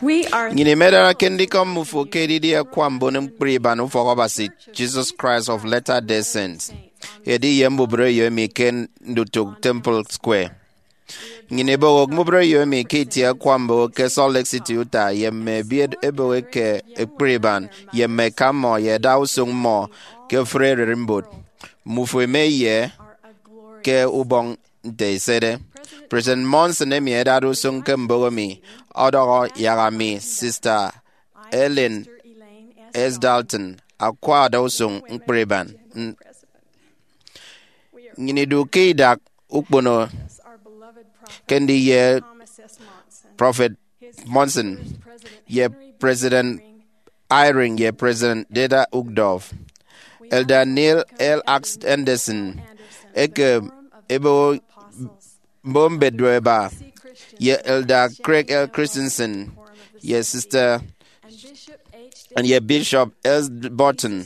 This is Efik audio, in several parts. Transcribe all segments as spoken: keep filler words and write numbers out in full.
Nnyịn imedarake ndikọm mmufo ke edidi akwa mbon ñkpri iban Ufọk Abasi Jesus Christ of Latter-day Saints, edi ye mbubreyo emi ke ndutụk Temple Square. Nnyịn ibọhọk mbubreyo emi ke itie akwa mboho ke Salt Lake City, Utah, ye mme ebiet eboho eke ekpri iban, ye mme eka mmọ, ye ẹda usụñ mmọ ke ofụri ererimbot. Mmufo eme ye ke ubọñ nte esede. President Monson, emi ẹdade usụñ ke mboho mi, ọdọhọ yak ami, Sister Elaine S. Dalton, akwa ada usụñ ñkpri iban. N-, nnyịn idu ke idak ukpono ke ndiye Prophet Monson, ye President Eyring, ye President Dieter Uchtdorf, Elder Neil L. Ax Anderson, eke ebe mbo mbet do eba, ye Elder Craig L. Christensen, ye Sister, and ye Bishop L. Burton.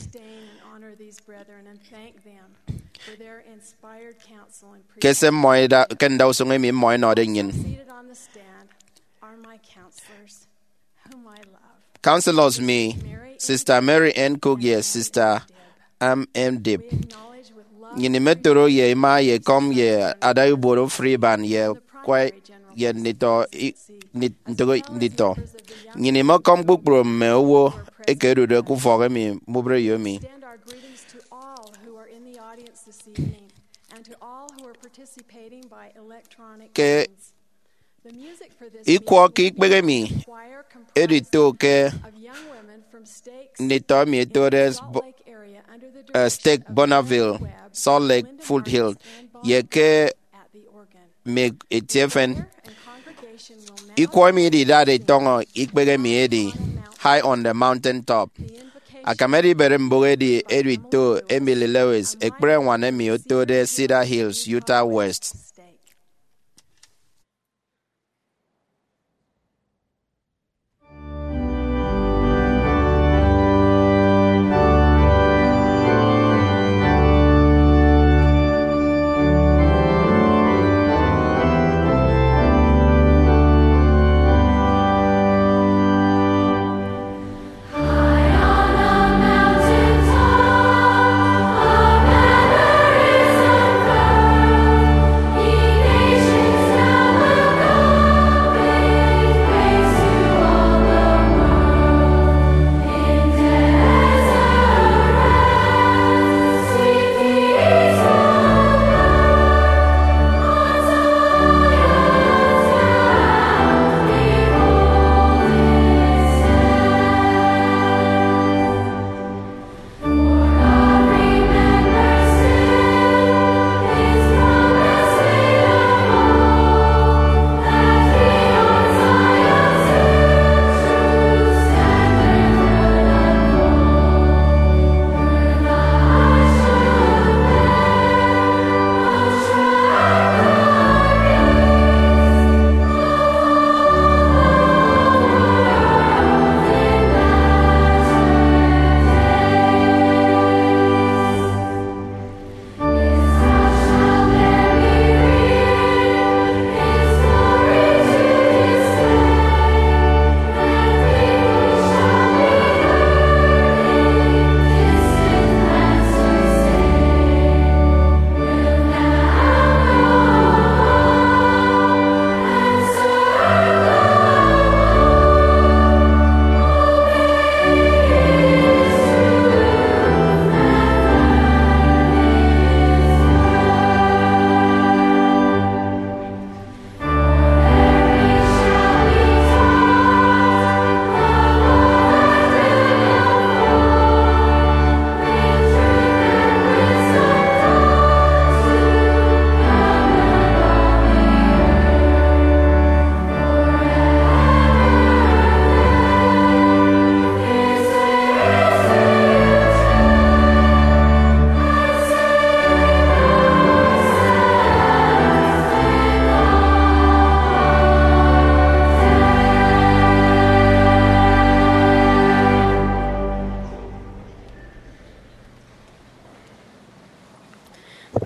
Ke se mmọ ida-, ke ndausụñ emi mmọ ẹnọde nnyịn. Counselors mi, Sister Mary N. Cook ye Sister M. M. Dibb. Nnyịn imetoro ye ima ye ekọm ye ada ibuot ofụri iban ye akwa ye nditọ i-, nit-, ntụk nditọ. Nnyịn imekọm kpukpru mme owo eke ẹdude ke ufọk emi mbubreyo emi. Ke ikwọ ke ikpehe emi edito ke nditọ emi ẹtode bo-, eh, Stake Bonneville, Salt Lake Foothills, ye ke mme etie efen. Ikwọ emi ididade itọñọ ikpehe emi edi High on the Mountain Top. Akam edibere mbụk edi edito Emily Lewis, ekpri añwan emi otode Cedar Hills, Utah West.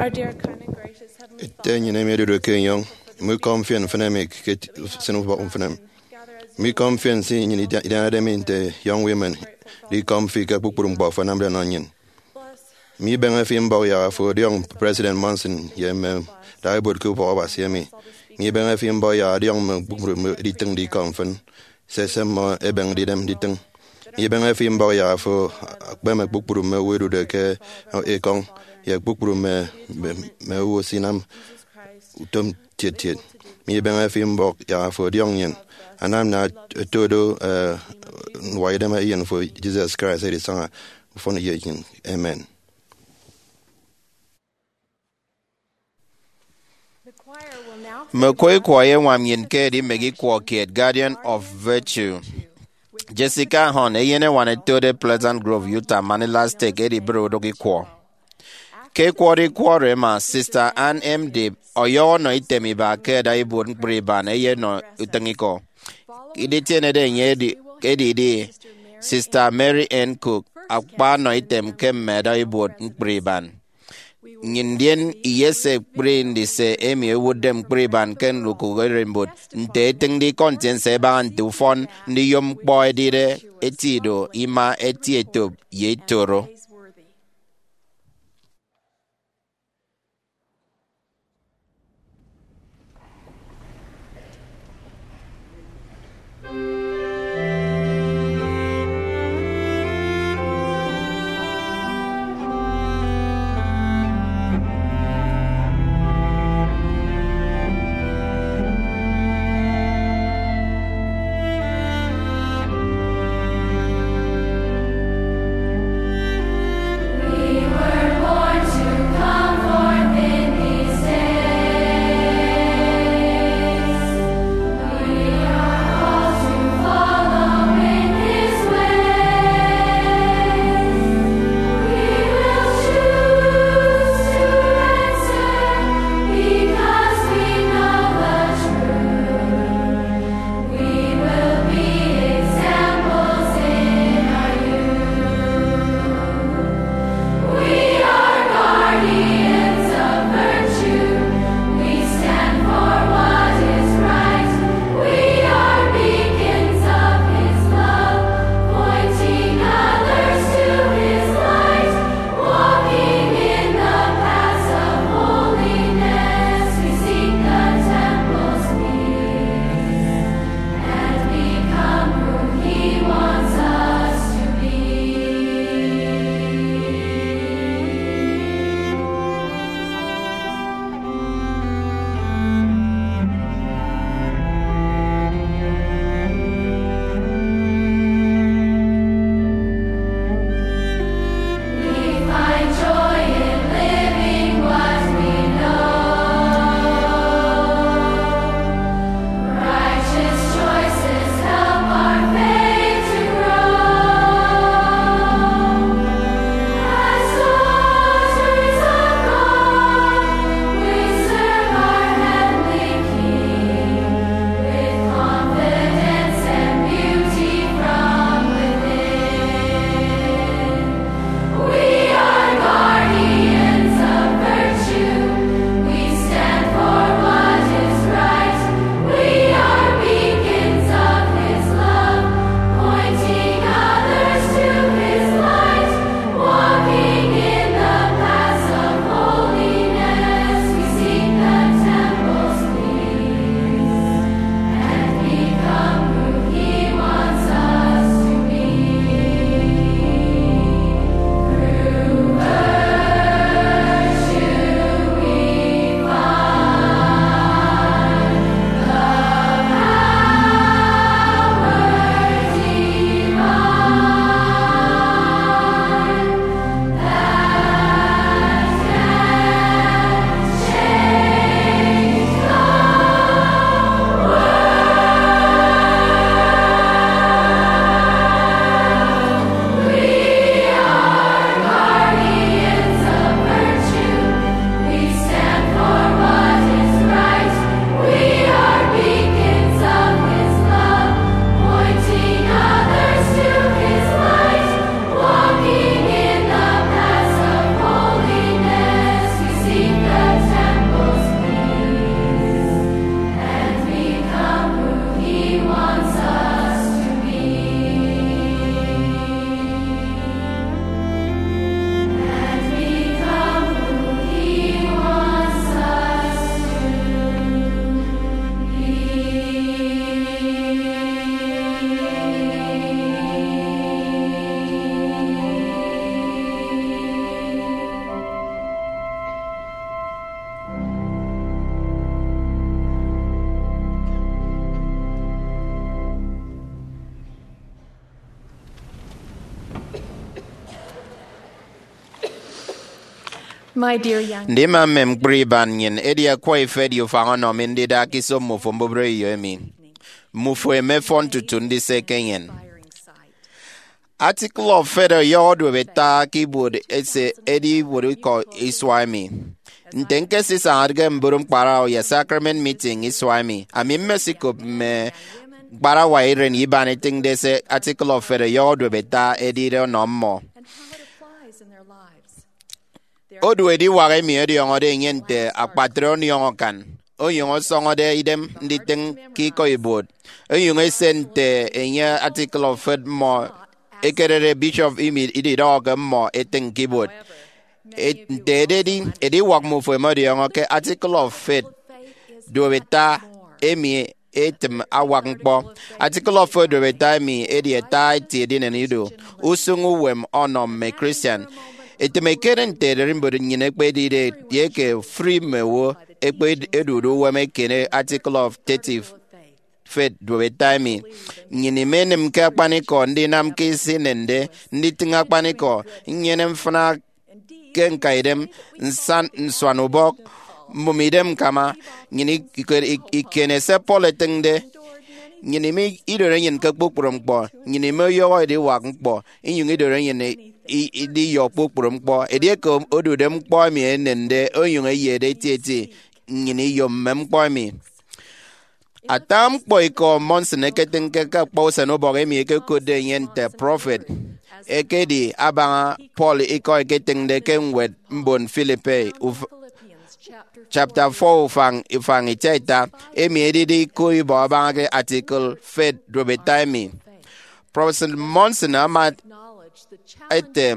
Our dear, kind, and gracious Heavenly Ete Father, enyịn emi odude ke enyọñ, mme ikọ mfịn mfịn emi ke eti-, usịn ubọk mfịn emi. Gather as Mi kọm fi nsi nyin idianade mi nte Young Women, di kọm fi ke kpukpru ñkpọ fo anamde nọ nyin. Mi beñe fi mbọk yak afo ọdiọñ President Monson ye mme daibot ke ubọk Abasi emi. Mi beñe fi mbọk yak ọdiọñ mme kpukpru mme editịñ di kọm mfịn, se se mmọ ebeñde idem nditịñ. Mi beñe fi mbọk yak afo akpeme kpukpru mme owo edude ke ekọñ, ye kpukpru mme, mme, mme owo sinam utom tiet tiet. Mi beñe fi mbọk yak afo ọdiọñ nyin, anam na oto do, eh, ñwai idem eyen fo Jesus Christ edisaña ufọn ye nyin. Amen. Mme oku ikwọ ẹyeñwam nyin ke edimek ikwọ kiet, Guardian of Virtue. Jessica Hahn, eyeneñwan etode Pleasant Grove, Utah, Manila State, edibịre odụk ikwọ. Ke ikwọde ikwọ oro ẹma, Sister Ann M. Dibb ọyọhọ ọnọ item iba ke ẹda ibuot ñkpri iban ẹyenọ utịñikọ. Iditienede enye edi, edidi, Sister Mary Ann Cook akpa ọnọ item ke mme ẹda ibuot ñkpri iban. Nnyịn ndien iyese ekpri ndise emi ẹwụtde ñkpri iban ke ndukụk ererimbot, nte etịñde ikọ ntiense ẹbaña nte ufọn ndiyom ñkpọ edide eti ido, ima, eti etop, ye eti oro. Ndima mme mkpri iban nnyịn edi akwa ifet ye ufañ ọnọ mi ndida ke iso mmufo mbubreyo emi. Mmufo emefọn tutu ndise ke enyịn. Article of Faith ọyọhọ duop ata ke ibuot ese edi ibuot ikọ isua emi. Nte ñkesisañade ke mboro ñkparawa ye sacrament meeting isua emi, ami mmesikop mme ñkparawa iren iban ẹtịñde se Article of Faith ọyọhọ duop ata edide ọnọ mmọ. Odu ediwak emi ọdiọñọde enye nte akpatre ọniọñ akan, onyụñ ọsọñọde idem nditịñ ke ikọ ibuot, onyụñ ese nte enye Article of Faith mmọ ekerede bishop emi ididọhọke mmọ etịñ ke ibuot. E- nte ededi, ediwak mmufo ẹmọdiọñọ ke Article of Faith duop ata emi etịm awak ñkpọ. Article of Faith duop ata emi edi ata eti edinen ido usụñ uwem ọnọ mme Christian. Etịm ekere nte ererimbot nnyịn ekpedide ye ke ofụri mme owo ẹkpedude uwem eken Article of Thirty Faith duop ata emi. Nnyịn imenịm ke akpanikọ ndinam ke se inende, nditịñ akpanikọ, nnyene mfịna ke ñkaidem, nsan nsuan ubọk, mbụme idem ñkama. Nnyịn ikere ikiene se Paul etịñde. Nnyịn ime idoro enyịn ke kpukpru ñkpọ. Nnyịn ime ọyọhọ ediwak ñkpọ, inyụñ idoro enyịn i- idiyọ kpukpru ñkpọ. Edieke odude ñkpọ emi enende onyụñ eyede etieti, nnyịn iyom mme ñkpọ emi. Ata ñkpọ ikọ Monson eketịñke ke akpa usen ubọk emi ẹkekotde enye nte prọfet ekedi abaña Paul ikọ eketịñde ke ñwed mbon Philippi, uf- chapter four, ufañ ifañ ita ita, emi edide ikọ ibọ abaña ke Article Faith duop ata emi. Prọfet Monson ama ete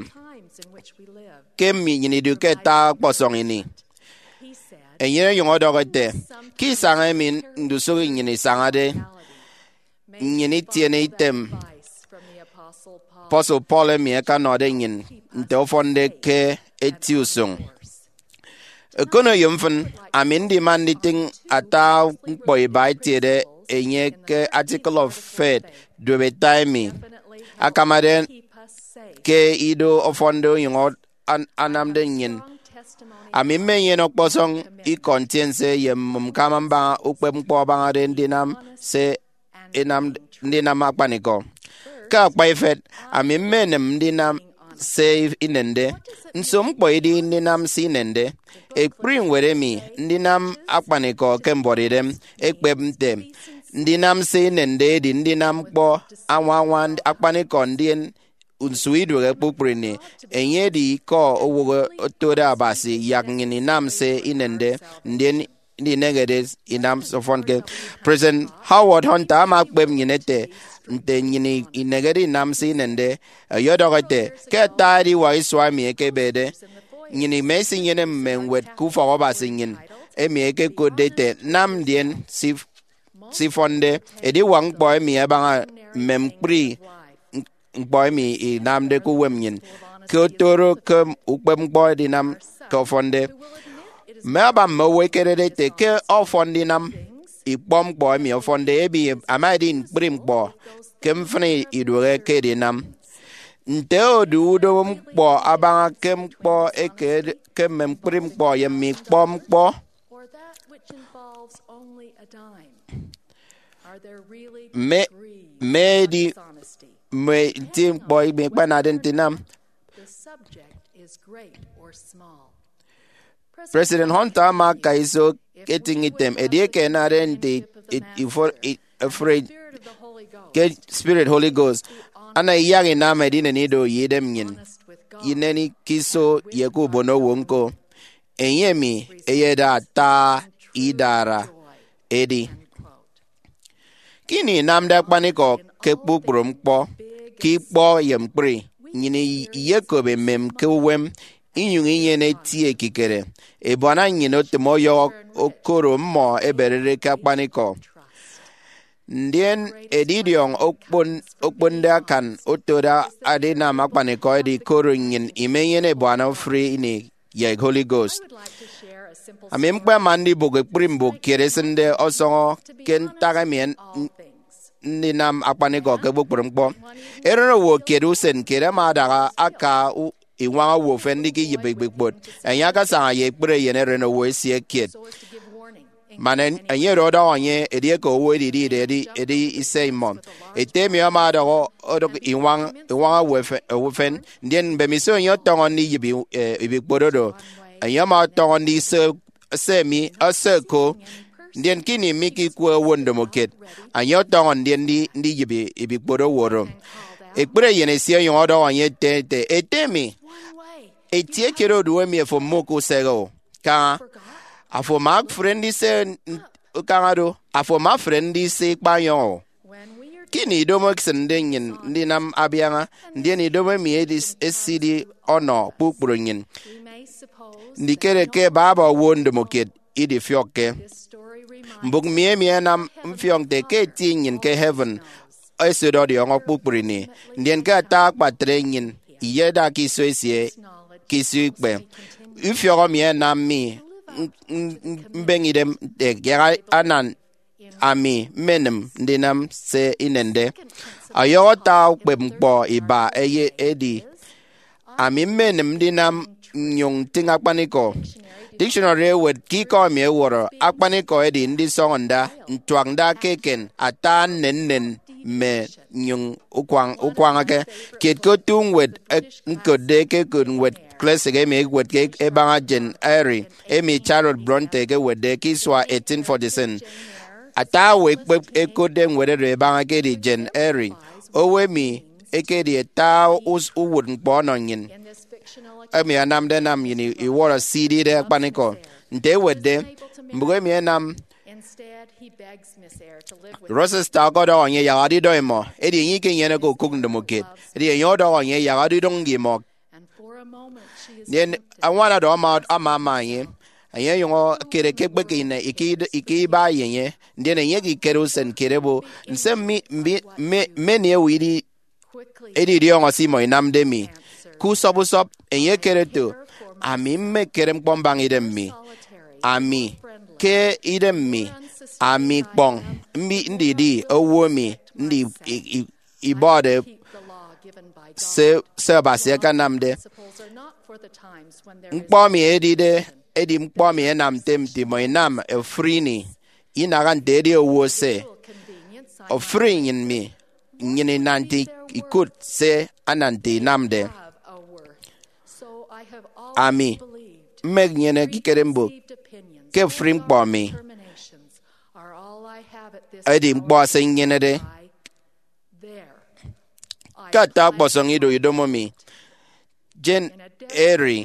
ke emi nnyịn idu ke ata ọkpọsọñ ini. Enye onyụñ ọdọhọ ete, ke isañ emi ndusụk nnyịn isañade, nnyịn itiene item apostle Paul emi akanọde nnyịn nte ọfọnde ke eti usụñ. Ekono ye mfịn, ami ndima nditịñ ata ñkpọ iba etiede enye ke Article of Faith duop ata emi akamade ke ido ọfọnde onyụñ an- anamde nnyịn. Ami mmenyene ọkpọsọñ ikọ ntiense ye mmụm ñkama mbaña ukpepñkpọ abañade ndinam se inam ndinam akpanikọ. Ke akpa ifet, ami mmenịm ndinam se inende. Nso ñkpọ idi ndinam se inende? Ekpri ñwed emi, Ndinam Akpanikọ ke Mbuọtidem, ekpep nte, ndinam se inende edi ndinam ñkpọ añwañwa akpanikọ ndien nsu iduehe kpukpru ini. Enye edi ikọ owo otode Abasi yak nnyịn inam se inende, ndien inehede inam se ọfọnke. President Howard Hunter ama ekpep nnyịn ete, nte nnyịn inehede inam se inende, ọyọdọhọ ete, ke ata ediwak isua emi ẹkebede, nnyịn ima isinyene mme ñwed ke ufọk Abasi nnyịn, emi ẹkekotde ete, Nam Ndien Se Ifọnde. Ediwak ñkpọ emi abaña mme mkpri ñkpọ emi inamde ke uwem nnyịn, ke otoro ke ukpepñkpọ edinam ke ọfọnde. Mme aba mme owo ẹkerede ete ke ọfọn ndinam ikpọ ñkpọ emi ọfọnde emi ama edi ñkpri ñkpọ ke mfịna iduehe ke edinam. Nte odu udomo ñkpọ abaña ke ñkpọ eke ke mme mkpri ñkpọ ye mme ikpọ ñkpọ? Mme mme edi mme nti ñkpọ emi ikpanade ndinam? President Hunter ama aka iso etịñ item edieke ẹnade nte ifo- i- efre ke Spirit Holy Ghost, ana iyak inam edinen ido ye idem nnyịn, ineni ke iso ye ke ubonowo ñko. Enye emi eyeda ata idara edi. Ke ini inamde akpanikọ ke kpukpru ñkpọ, ke ikpọ ye mkpri, nnyịn iyekop emem ke uwem, inyụñ inyene eti ekikere. Ebuana nnyịn otịm ọyọhọ okoro mmọ ẹberede ke akpanikọ. Ndien edidiọñ okpon- okponde akan otode adinam akpanikọ edi koro nnyịn imenyene ebuana ofụri ini ye Holy Ghost. Ami ñkpema ndibụk ekpri mbụk kiet esịnde ọsọñọ ke ntak emi en- ndinam akpanikọ ke kpukpru ñkpọ. Erenowo kiet usen kiet ama adaha aka u- iñwañ owo ufen ndikiyịp ibikpot. Enye akasaña ye ekpri eyen erenowo esie kiet, man enye oro ọdọhọ enye edieke owo edide edi edi ise imọ. Ete emi ama ọdọhọ odụk iñwañ iñwañ owo efe- owo ufen, ndien mbemiso enye ọtọñọ ndiyịp i- e, ibikpot oro, enye ama ọtọñọ ndise se mi ese ko. Ndien ke ini mi ke ikwe owo ndomokiet, enye ọtọñọ ndien ndi- ndiyịp ibikpot owo oro. Ekpri eyen esie ọnyụñ ọdọhọ enye ete, ete, ete mi, etie kiet odu emi efo mmuka usehe o. Kaña, afo ama afre ndise n- kaña do, afo ama afre ndise ikpañyọñ o. Ke ini idomo esịnde nnyịn ndinam abiaña, ndien idomo emi edi- esidi ọnọ kpukpru nnyịn. Ndikere ke baba owo ndomokiet idifiọkke. Mbụk mi emi ẹnam mfiọk nte ke eti nnyịn ke heaven esịt ọdiọñọ kpukpru ini, ndien ke ata akpatre nnyịn iyeda ke iso esie ke iso ikpe. Ifiọk emi ẹnam mi m- m- mbeñe idem nte yak anan ami mmenịm ndinam se inende. Ọyọhọ ata ukpepñkpọ iba eye edi, ami mmenịm ndinam nnyụñ ntịñ akpanikọ. Dictionary ewet ke ikọ emi ẹwọrọ akpanikọ edi ndisọñọ nda, ntuak nda ke eken, ata nnennen mme nnyụñ ukwañ- ukwañake kiet. Ke otu ñwed ek- ñkotde ke ñkot ñwed klasik emi ẹkewet ke ebaña Jane Eyre, emi Charlotte Bronte ekewetde ke isua eighteen forty-seven, ata owo ekpep ekotde ñwed oro ebaña ekedi Jane Eyre, owo emi ekedi ata us- uwụtñkpọ ọnọ nnyịn, emi anamde ẹnam nnyịn iwọrọ se idide akpanikọ. Nte ewetde, mbụk emi ẹnam Rochester ọkọdọhọ enye yak ọdidọñ imọ, edi enye ikenyeneke okụk ndomokiet, edi enye ọdọhọ enye yak ọdidụñ ye imọ. Ndien añwan oro ama ama ama enye, enye ọnyụñ ekere ke ekpeke ine ike id- ike iba ye enye, ndien enye ekikere usen kiet ebo, nse mmi- mbi- mme- mmeni ewe idi- edidiọñọ se imọ inamde mi? Ke usọp usọp, enye ekere eto, ami mmekere ñkpọ mbaña idem mi. Ami ke idem mi, ami kpọñ mbi- ndidi owo emi ndi- i- i- ibọde se, se Abasi akanamde. Ñkpọ emi edide edi ñkpọ emi ẹnamde nte imọ inam ofụri ini, inaha nte edi owo ese. Ofụri nnyịn mi, nnyịn inam nte ikụt se anam nte inamde. Ami mmenyene ekikere mbụk ke ofụri ñkpọ mi edi ñkpọ se nnyenede. Ke ata ọkpọsọñ ido idomo mi, Jane Eyre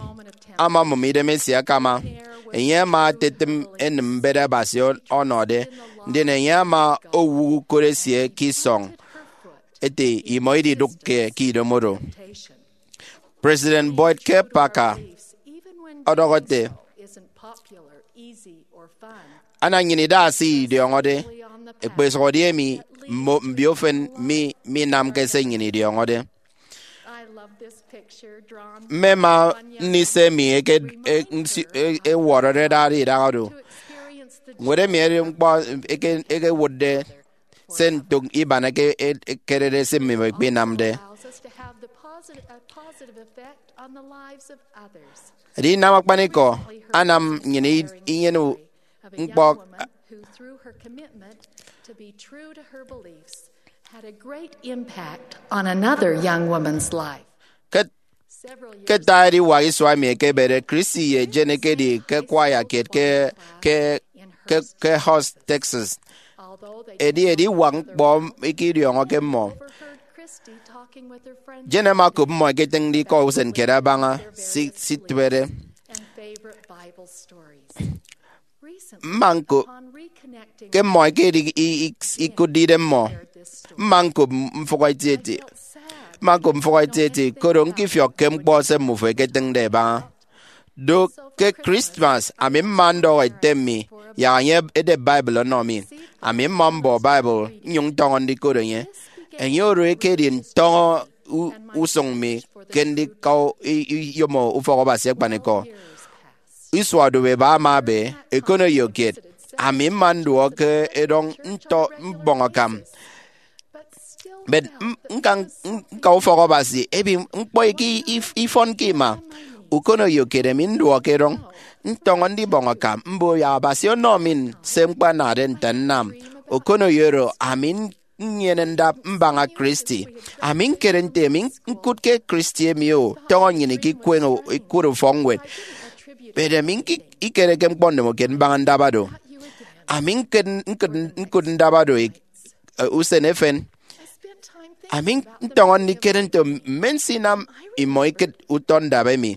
ama amụm idem esie akama. Enye ama etetịm enịm mbet Abasi ọ- ọnọde, ndien enye ama owụk ukot esie ke isọñ ete imọ ididụkke ke idomo oro. President Boyd K. Packer ọdọhọ ete, ana nnyịn ida se idiọñọde, ekpesụhọde emi mmo mbio efen mi minamke se nnyịn idiọñọde. Mmema ndise emi eke- e- nsi- e- ewọrọde dade idaha do. Ñwed emi edi ñkpọ eke- ekewụtde se ntụk iban eke- e- ekerede se mmimọ ikpinamde. Edinam akpanikọ anam nnyịn i- inyene u- ñkpọ. Who, through her commitment to be true to her beliefs, had a great impact on another young woman's life. Ke ke ata ediwak isua emi ekebede, Christy ye Jane ekedi ke kwaya kiet ke, ke, ke, ke Houston, Texas. Edi ediwak ñkpọ eke idiọñọke mmọ. Jane ama okop mmọ ẹketịñde ikọ usen kiet abaña si- situbede. Mma ñko ke mmọ ẹkedi i- i- ikụtde idemmọ. Mma ñkop mfụhọ etieti. Mma ñkop mfụhọ etieti, koro ñkifiọkke ñkpọ se mmufo ẹketịñde ẹbaña. Do ke Christmas, ami mma ndọhọ ete mi yak enye edep Bible ọnọ mi. Ami mma mbọ Bible nnyụñ ntọñọ ndikot enye. Enye oro ekedi ntọñọ u- usụñ mi ke ndika i- i- iyomo ufọk Abasi akpanikọ. Isua odobo eba ama ebe, ekoneyo kiet, ami mma nduọk ke edọñ ntọ mbọñ akam. But m- nka nka ufọk Abasi emi ñkpọ eke if- ifọnke ima. Ukonoyo kiet emi nduọk erọñ ntọñọ ndibọñ akam mboyak Abasi ọnọ mi se ñkpanade nte nnam. Ukonoyo oro ami nnyene ndap mbaña Christy. Ami ñkere nte emi ñkụt ke Christy emi o tọñọ nnyịn ke ikweñ o- ikụt ufọkñwed. But ami ñki- ikereke ñkpọ ndomokiet mbaña ndabado. Ami ñkụt ñkụt ñkụt ndabado ik- eh, usen efen. Ami ntọñọ ndikere nte mme nsinam imọ ikịt utọ ndap emi.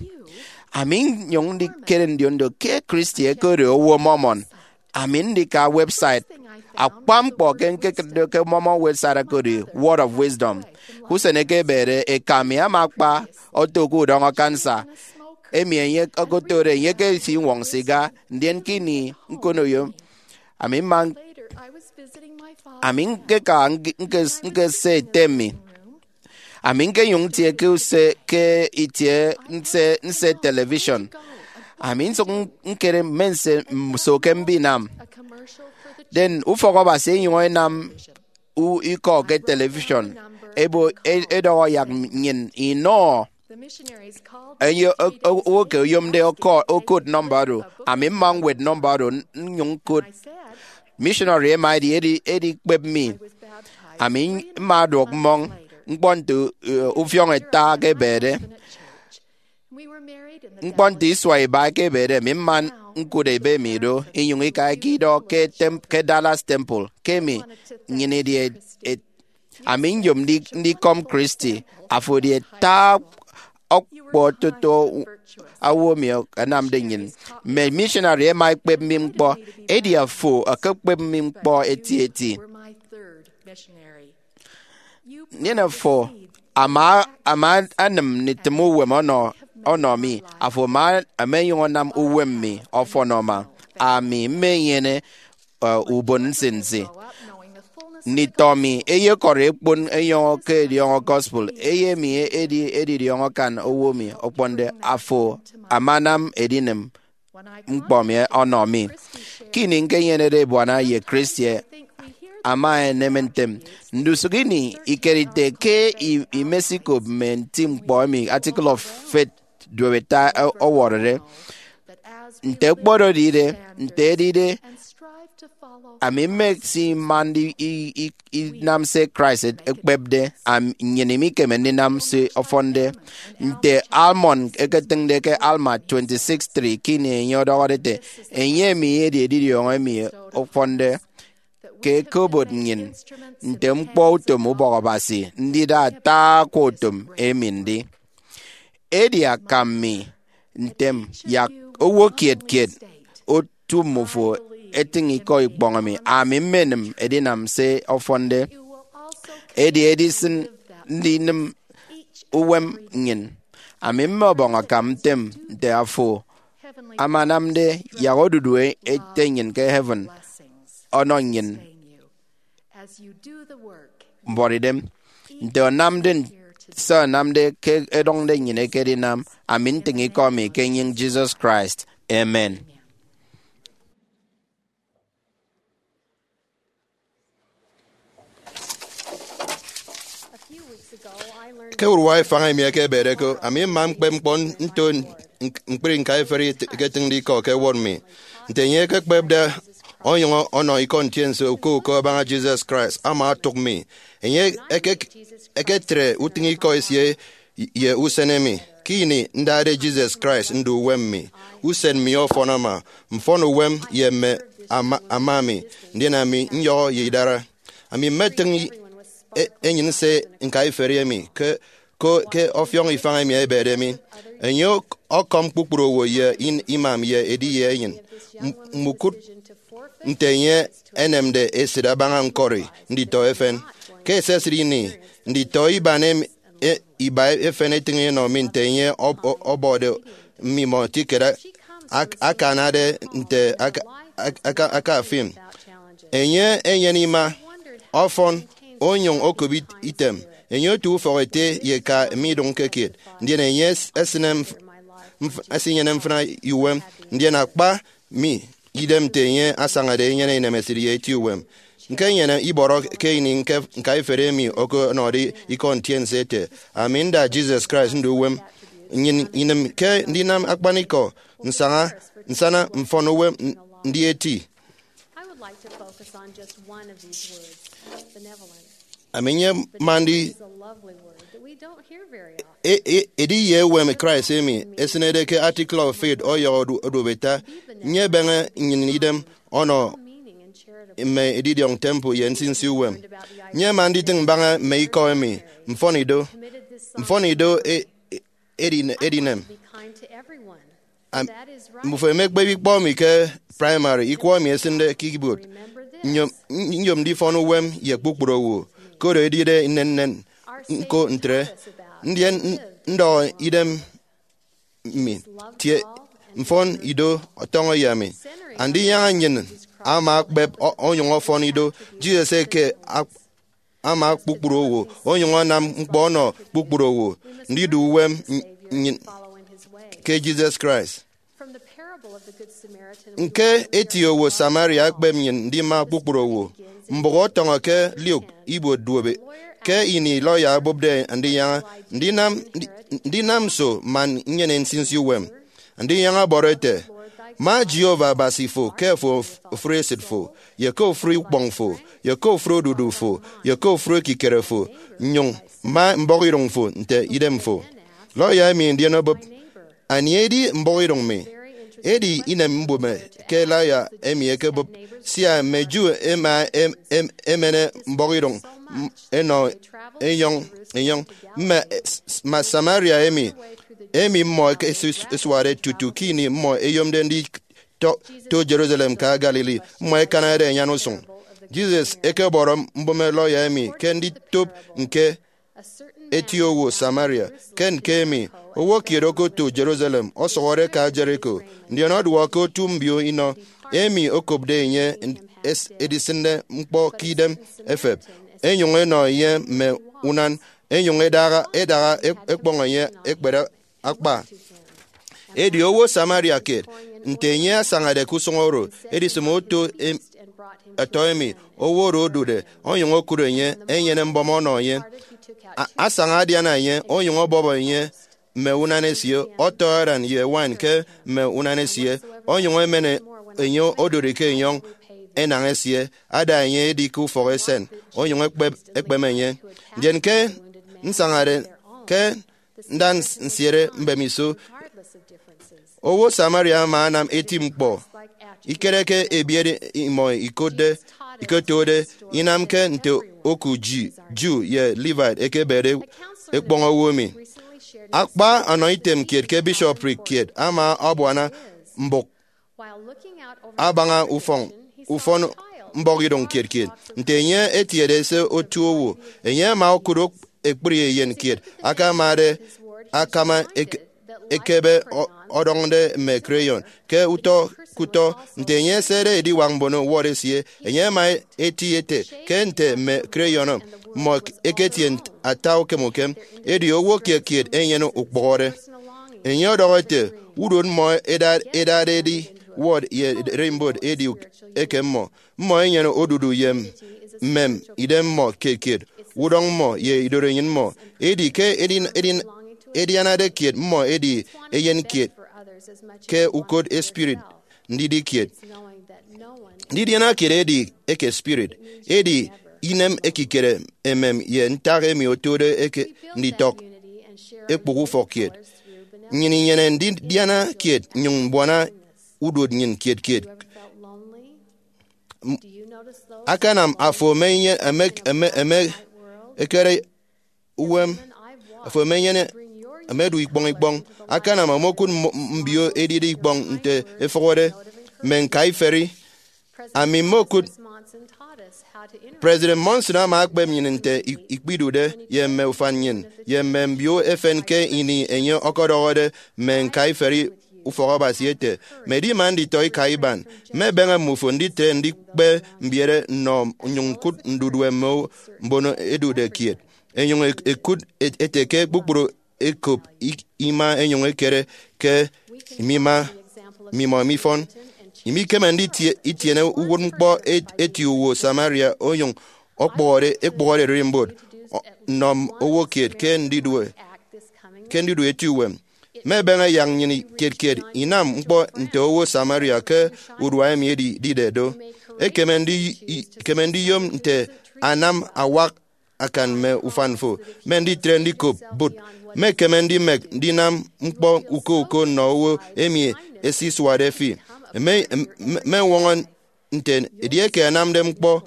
Ami nnyụñ ndikere ndiondo ke Christy ekode owo Mormon. Ami ndika website. Akpa ñkpọ ke ñkekịtde ke Mormon website ekode Word of Wisdom. Usen eke ebede, eka mi ama akpa oto ke udọñọ kansa emi enye okotode enye ke eti iñwọñ siga. Ndien ke ini ñkonoyo, ami mma ami ñkeka ñke- ñke- ñkese ete mi. Ami ñkenyụñ ntie ke use ke itie nse nse television. Ami nsụk ñkere mme nse nso ke mbinam. Den ufọk Abasi enyụñ enam u- ikọ ke television ebo e- edọhọ yak nnyịn inọ enye o- o- owo ke oyomde ọkọ- okot nọmba oro. Ami mma ñwet nọmba oro n- nnyụñ ñkot. Missionary ema edi edi edikpep mi. Ami mma ọduọk mmọñ ñkpọ nte uh, ufiọñ ita ke ebede. Ñkpọ nte isua iba ke ebede mi mma ñkụt ebe mi do inyụñ ikaika idọ ke tem- ke Dallas Temple ke emi nnyịn idi et- et- ami nyom ndi- ndikọm Christy. Afo edi ata ọkpọ toto owo mi anamde nnyịn. Mme missionary ema ekpep mi ñkpọ, edi afo ekekpep mi ñkpọ eti eti. Ndien afo ama ama anịm nditịm uwem ọnọ ọnọ mi. Afo ama ama enyụñ anam uwem mi ọfọn ọma. Ami mmenyene uh, ubon nsinsi. Nditọ mi eyekọri ekpon enyọñọ ke ediọñọ gospel. Eyemi edi edidiọñọ akan owo mi okponde. Afo amanam edinịm ñkpọ mi ọnọ mi. Ke ini ñkenyenede ebuana ye Christy ama enem ntem. Ndusụk ini ikeride ke i- imesikop mme nti ñkpọ emi Article of Faith duoeta ọwọrọde. Nte okpodoride, nte edide, ami mmesimande i- i- inam se Christ ekpepde. Am- nnyịn imikeme ndinam se ọfọnde. Nte Almon eketịñde ke Alma twenty-six three, ke ini enye ọdọhọde ete, enye emi edi edidiọñọ emi ọfọnde ke ekobot nnyịn nte ñkpọ utom ubọk Abasi ndida ata akwa utom emi ndi. Edi akam mi ntem yak owo kiet kiet otu mmufo etịñ ikọ ikpọñ emi. Ami mmenịm edinam se ọfọnde. Edi edisịn ndinịm uwem nnyịn. Ami mme ọbọñ akam ntem nte afo amanamde yak odudu ete nnyịn ke heaven ọnọ nnyịn mbuọtidem. Nte ọnamde se ọnamde ke ẹdọñde nnyịn ekedinam, ami ntịñ ikọ mi ke enyịñ Jesus Christ. Amen. Ke urua ifañ emi ekebede ko, ami mma ñkpep ñkpọ nto ñk- ñkpri ñkaiferi eketịñde ikọ ke ẹwot mi. Nte enye ekekpepde onyụñ ọnọ ikọ ntiense uko uko abaña Jesus Christ ama otụk mi. Enye eke- eketre utịñikọ esie ye usen emi. Ke ini ndade Jesus Christ ndu uwem mi, usen mi ọfọn ama, mfọn uwem ye mme ama, ama mi, ndien ami nyọhọ ye idara. Ami mmetịñ e- enyịn se ñkaiferi emi ke ko ke ọfiọñ ifañ emi ebede mi. Enye ọk- ọkọm kpukpru owo ye in- imam ye edi ye enyịn. M- mmukụt nte enye enemde esịt abaña ñkọri nditọ efen. Ke esesịt ini, nditọ iban em- e- iba efen etịñ enọ mi nte enye ọb- ọ- ọbọde mmimọ etiket a- ak- akanade nte aka- ak- aka- akafin. Enye enyene ima, ọfọn, onyụñ okop it- item. Enye otu ufọk ete ye eka midụñke kiet, ndien enye es- esịne mf- mf- esinyene mfịna uwem, ndien akpa mi idem nte enye asañade enyene inemesịt ye eti uwem. Ñkenyene ibọrọ ke ini ñke-, ñkaiferi emi okonọde ikọ ntiense ete, "Ami nda Jesus Christ ndu uwem." Nnyịn inịm ke ndinam akpanikọ nsaña, nsana mfọn uwem n-, ndi eti. I would like to focus on just one of these words, benevolence. Ami nyema ndi It's a lovely word that we don't hear very often. E-, e-, edi ye uwem Christ emi esịnede ke Article of Faith ọyọhọ odu-, oduobeta, nyebeñe nnyịn idem ọnọ mme edidiọñ temple ye nsinsi uwem. Nyema nditịñ mbaña mme ikọ emi, mfọn ido. Mfọn ido e-, e-, edine-, edinem. Am-, mbufo emekpep ikpọ emi ke primary, ikọ emi esịnde ke keyboard. Nyom, nyom ndifọn uwem ye kpukpru owo, koro edide nnennen ñko ntre. Ndien n-, ndọhọ idem mi, tie, mfọn ido ọtọñọ ye mi. Andinyaña nnyịn ama akpep o-, onyụñ ọfọn ido. Jesus eke ak-, ama kpukpru owo, onyụñ anam ñkpọ ọnọ kpukpru owo ndidu uwem n-, nnyịn ke Jesus Christ. Ñke eti owo Samaria ekpep nnyịn ndima kpukpru owo. Mbụk ọtọñọ ke Luke ibuot duobe ke ini lawyer obụpde ndinyaña, "Ndinam, ndi-, ndinam nso man nnyene nsinsi uwem?" Ndinyaña ọbọrọ ete, "Ma Jehovah Abasi fo ke ofụri esịt fo, ye ke ofụri ukpọñ fo, ye ke ofụri odudu fo, ye ke ofụri ekikere fo, nyụñ ma mbọhọidụñ fo nte idem fo." Lawyer emi ndien obụp, "Anie edi mbọhọidụñ mi?" Edi inem mbụme ke lawyer emi ekebụp, sia mme Jew ẹma em-, em-, ẹmene mbọhọidụñ m-, ẹnọ enyọñ enyọñ. Mme s-, ma Samaria emi, emi mmọ ẹkesuade tutu ke ini mmọ ẹyomde nditọ to Jerusalem ka Galilee, mmọ ẹkanade ẹnyan usụñ. Jesus ekebọrọ mbụme lawyer emi ke nditop ñke eti owo Samaria. Ke ñke emi, owo kiet okoto Jerusalem, ọsụhọde ka Jericho, ndien ọduọk ke otu mbio inọ emi okopde enye es-, edisịnde ñkpọ ke idem efep, enyụñ enọ enye mme unan, enyụñ edaha, edaha ek-, ekpọñ enye ekpere akpa. Edi owo Samaria kiet, nte enye asañade ke usụñ oro, edisịm oto em-, ẹtọ emi, owo oro odude, onyụñ okụt enye, enyene mbọm ọnọ enye. A-, asaña adiana enye, onyụñ ọbọbọ enye mme unan esie, ọtọ aran ye wine ke mme unan esie, onyụñ emen enye odụri ke enyọñ enañ esie, ada enye edi ke ufọk esen, onyụñ ekpep, ekpeme enye. Ndien ke nsañade ke nda ns-, nsiere mbemiso, owo Samaria ama anam eti ñkpọ. Ikere ke ebiet imọ ikotde, ikotode, inamke nte oku Ji-, Jew ye Levite ekebede ekpọñ owo emi. Akpa ọnọ item kiet ke bishopric kiet ama abuana mbụk abaña ufọn, ufọn mbọhọidụñ kiet kiet. Nte enye etiede ese otu owo, enye ama okụt ok-, ekpri eyen kiet akamade akama ek-, ekebe ọ-, ọdọñde mme crayon ke utọ ke utọ. Nte enye esede ediwak mbono word esie, enye ama eti ete ke nte mme crayon mmọ eketie nt-, ata ukem ukem, edi owo kiet kiet enyene ukpụhọde. Enye ọdọhọ ete, "Udot mmọ eda-, edade edi word ye ererimbot edi eke mmọ. Mmọ enyene odudu ye mmem idem mmọ kiet kiet, udọñ mmọ ye idorenyin mmọ. Edi ke edin-, edin-, edianade kiet mmọ edi eyen kiet ke ukot espirit ndidi kiet." Ndidiana kiet edi eke spirit, edi inem ekikere emem ye ntak emi otode eke nditọk ekpụk ufọk kiet. Nnyịn inyene ndidiana kiet nnyụñ mbuana uduot nnyịn kiet kiet. M-, akanam afo eme, eme, eme, eme ekere uwem, afo emenyene, emedu ikpọñ ikpọñ. Akanam omokụt mmo-, mbio edide ikpọñ nte efụhọde mme ñkaiferi. Ami mmokụt President Monson ama akpep nnyịn nte i-, ikpidude ye mme ufan nnyịn ye mme mbio efen ke ini enye ọkọdọhọde mme ñkaiferi ufọk Abasi ete, "Medi ima nditọ ika iban, mmebeñe mmufo nditre ndikpe mbiere nnọ nnyụñ ñkụt ndudue mme mbono edude kiet." Enyụñ e-, ekụt et-, ete ke kpukpru ekop i-, ima enyụñ ekere ke mima, mimọ mifọn. Imikeme nditie itiene uwụtñkpọ et- eti owo Samaria onyụñ ọkpọhọde ekpụhọde ererimbot nnọ owo kiet ke ndidue ke ndidu eti uwem. Mmebeñe yak nnyịn kiet kiet inam ñkpọ nte owo Samaria ke urua emi edide do. Ekeme ndi- i- ekeme ndiyom nte anam awak akan mme ufan fo, mme nditre ndikop bụt. Mmekeme ndimek ndinam ñkpọ uko uko nnọ owo emi esisuade fi. Mme- mme- mmewọñọ nte edieke anamde ñkpọ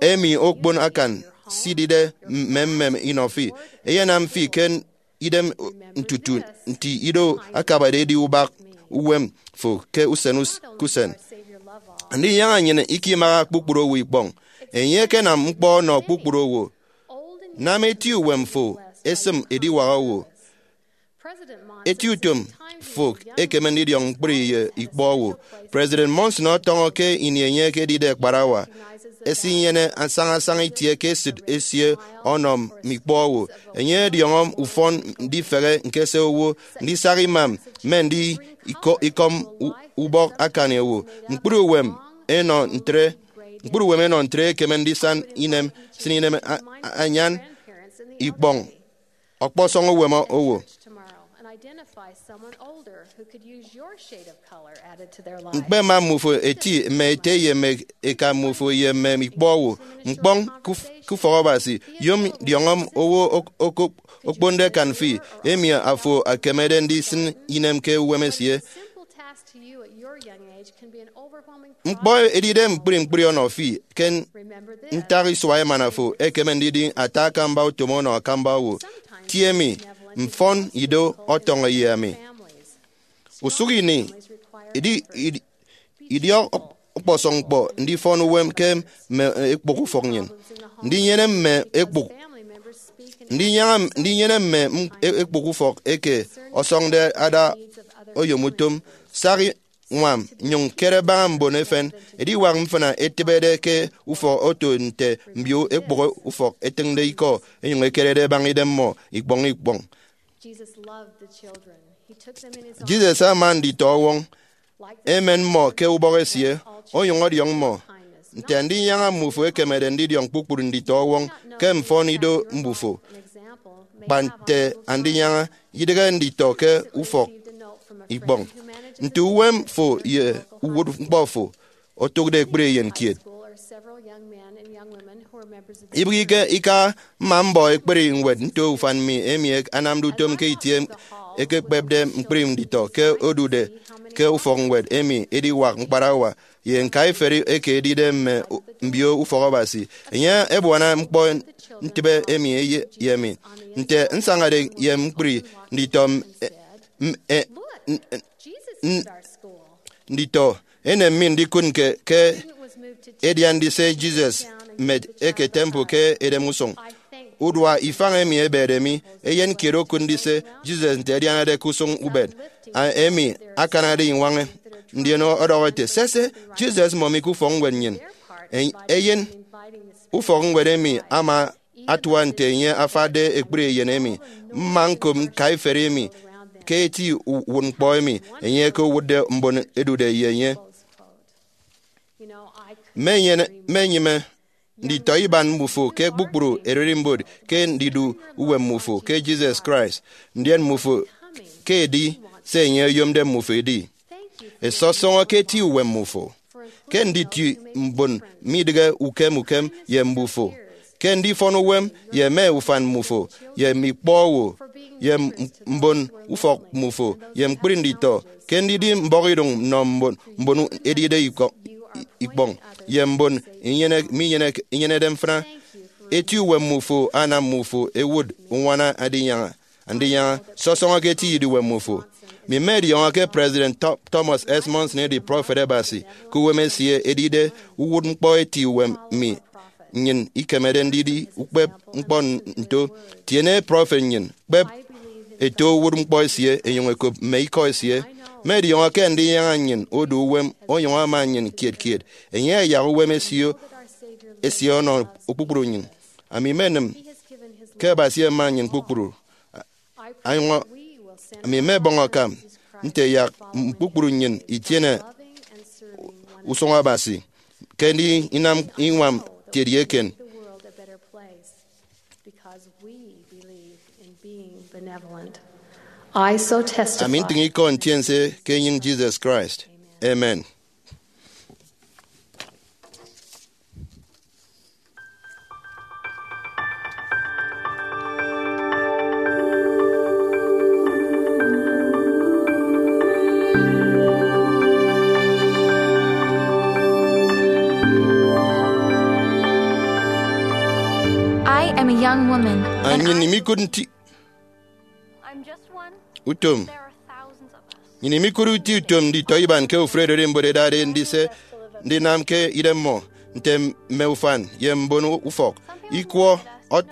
emi okpon akan sidide mmemmem inọ fi, eyenam fi ke idem ntutu nti ido akabade edi ubak uwem fo ke usen us- ke usen. Ndinyaña nnyịn ikimaha kpukpru owo ikpọñ. Enye ekenam ñkpọ ọnọ kpukpru owo. Nam eti uwem fo esịm ediwak owo. Eti utom fo ekeme ndidiọñ ñkpri ye ikpọ owo. President Monson ọtọñọ ke ini enye ekedide akparawa, esinyene asaña asaña itie ke esịt esie ọnọ mme ikpọ owo. Enye ọdiọñọ ufọn ndifehe ñkese owo, ndisak imam, mme ndi iko- ikọm u- ubọk akani owo. Ñkpri uwem enọ ntre ñkpri uwem enọ ntre ekeme ndisan inem, sin inem a- a- anyan ikpọñ ọkpọsọñ uwem owo. Ñkpema mmufo eti mme ete ye mme eka mmufo ye mme ikpọ owo. Ñkpọñ ke uf- ke ufọk Abasi, yom diọñọ owo ok- ok- okponde akan fi, emi afo ekemede ndisịn inem ke uwem esie. Ñkpọ edide ñkpri ñkpri ọnọ fi ke ntak isua emana fo ekeme ndidi ata akamba utom ọnọ akamba owo. Tie mi, mfọn ido ọtọñọ ye ami. Usụk ini, idi- idi- idiọk ọkpọsọñ ñkpọ ndifọn uwem ke mme ekpụk ufọk nnyịn. Ndinyene mme ekpụk ndinyaña ndinyene mme m- e- ekpụk ufọk eke ọsọñde ada oyomutom, sak ñwam, nyụñ kere baña mbon efen. Ediwak mfịna etịbede ke ufọk oto nte mbio ekpụk ufọk etịñde ikọ, enyụñ ekerede baña idemmọ ikpọñ ikpọñ. Jesus ama nditọ ọwọñ, emen mmọ ke ubọk esie, onyụñ ọdiọñ mmọ nte andinyaña mmufo ekemede ndidiọñ kpukpru nditọ ọwọñ ke mfọn ido mbufo. Kpa nte andinyaña, idịghe nditọ ke ufọk ikpọñ. Nte uwem fo ye uwụtñkpọ fo otụkde ekpri eyen kiet? Ibịghike ika mma mbọ ekpri ñwed nto ufan mi emi anamde utom ke itie ekekpepde ñkpri nditọ ke odude ke ufọk ñwed emi ediwak ñkparawa ye ñkaiferi eke edide mme mbio ufọk Abasi. Enye ebuana ñkpọ ntịbe emi ye- ye mi. Nte nsañade ye ñkpri nditọ m- e- m- e- n- n- nditọ, enem mi ndikụt ke ke edian ndise Jesus met eke temple ke edem usụñ. Udua ifañ emi ebede mi, eyen kiet okụt ndise Jesus nte adianade ke usụñ ubet, a- emi akanade iñwaña, ndien ọdọhọ ete, "Sese, Jesus mmọ mi ke ufọk ñwed nnyịn." En- eyen ufọk ñwed emi ama atua nte enye afakde ekpri eyen emi. Mma ñkop ñkaiferi emi ke eti uwụtñkpọ emi enye ekewụtde mbon edude ye enye. Mmenyene- mmenyịme nditọ iban mmufo ke kpukpru ererimbot ke ndidu uwem mmufo ke Jesus Christ, ndien mmufo ke edi se enye oyomde mmufo edi. Esọsọñọ ke eti uwem mmufo, ke nditi mbon midịghe ukem ukem ye mbufo, ke ndifọn uwem ye mme ufan mmufo, ye mme ikpọ owo, ye m- mbon ufọk mmufo, ye ñkpri nditọ, ke ndidi mbọhọidụñ nnọ mbon mbon edide ikọ- ikpọñ, ye mbon inyene- minyeneke- inyenede mfịna. Eti uwem mmufo anam mmufo ewụt uñwana andinyaña. Andinyaña, sọsọñọ ke eti idiuwem mmufo. Mi mmediọñọ ke President Tho- Thomas S. Monson edi prọfet Abasi, ke uwem esie edide uwụtñkpọ eti uwem mi, nnyịn ikemede ndidi ukpep ñkpọ nto. Tiene prọfet nnyịn, kpep eto uwụtñkpọ esie, enyụñ ekop mme ikọ esie. Mmediọñọ ke andinyaña nnyịn odu uwem, onyụñ ama nnyịn kiet kiet. Enye ayak uwem esie esie ọnọ kpukpru nnyịn. Ami mmenịm ke Abasi ama nnyịn kpukpru. Anyụñ ami mmebọñ akam nte yak kpukpru nnyịn itiene usụñ Abasi ke ndinam iñwam tiet ye eken. Ami ntịñ ikọ ntiense ke enyịñ Jesus Christ. Amen. I am a young woman. Nnyịn imikụt nti utom. Nnyịn imikụt uti utom nditọ iban ke ofụri ererimbot ẹdade ndise ndinam ke idemmọ, nte mme ufan ye mbon ufọk ikwọ ọt.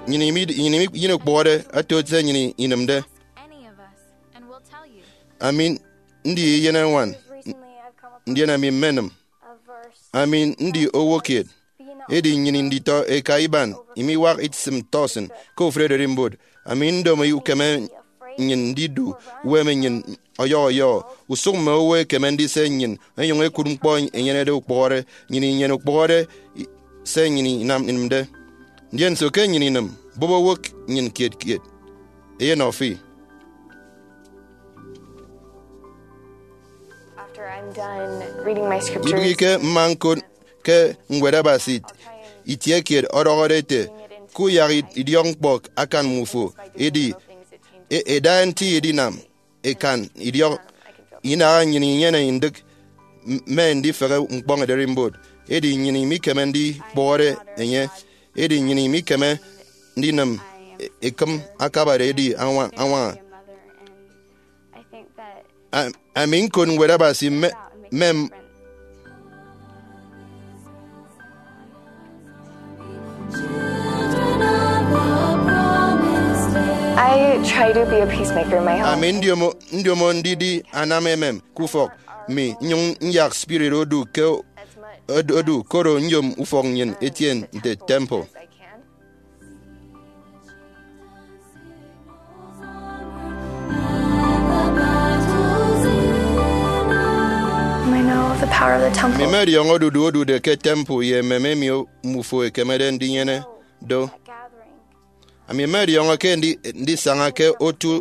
Nnyịn imi- nnyịn imi- nnyịn ikpọhọde ato se nnyịn inịmde. Ami ndi eyenañwan, ndien ami mmenịm. Ami ndi owo kiet, edi nnyịn nditọ eka iban imiwak itisịm tọsịn ke ofụri ererimbot. Ami ndomo ukeme nnyịn ndidu uwem nnyịn ọyọhọ ọyọhọ, usụk mme owo ẹkeme ndise nnyịn ẹnyụñ ẹkụt ñkpọ ẹnyenede ukpụhọde. Nnyịn inyene ukpụhọde se nnyịn inam inịmde. Ndien nso ke nnyịn inịm? Bụp owo nnyịn kiet kiet eyenọ fi. After I'm done reading my scriptures, ibịghike mma ñkot ke Ñwed Abasi itie kiet ọdọhọde ete, kuyak idiọk ñkpọ akan mmufo, edi e- eda nti edinam ekan idiọk. Inaha nnyịn inyene ndịk mme ndifehe ñkpọñ ererimbot, edi nnyịn imikeme ndikpụhọde enye, edi nnyịn imikeme ndinịm ekịm akabade edi añwaña. Ami ñkot Ñwed Abasi mme mme I try to be a peacemaker in my home. Ami ndiomo ndiomo ndidi anam emem ke ufọk mi, nnyụñ nyak spirit odu ke odu, koro nyom ufọk nnyịn etie nte temple. Mmọdiọñọ odudu odude ke temple ye emem emi mmufo ẹkemede ndinyene do. Ami mmọdiọñọ ke ndisaña ke otu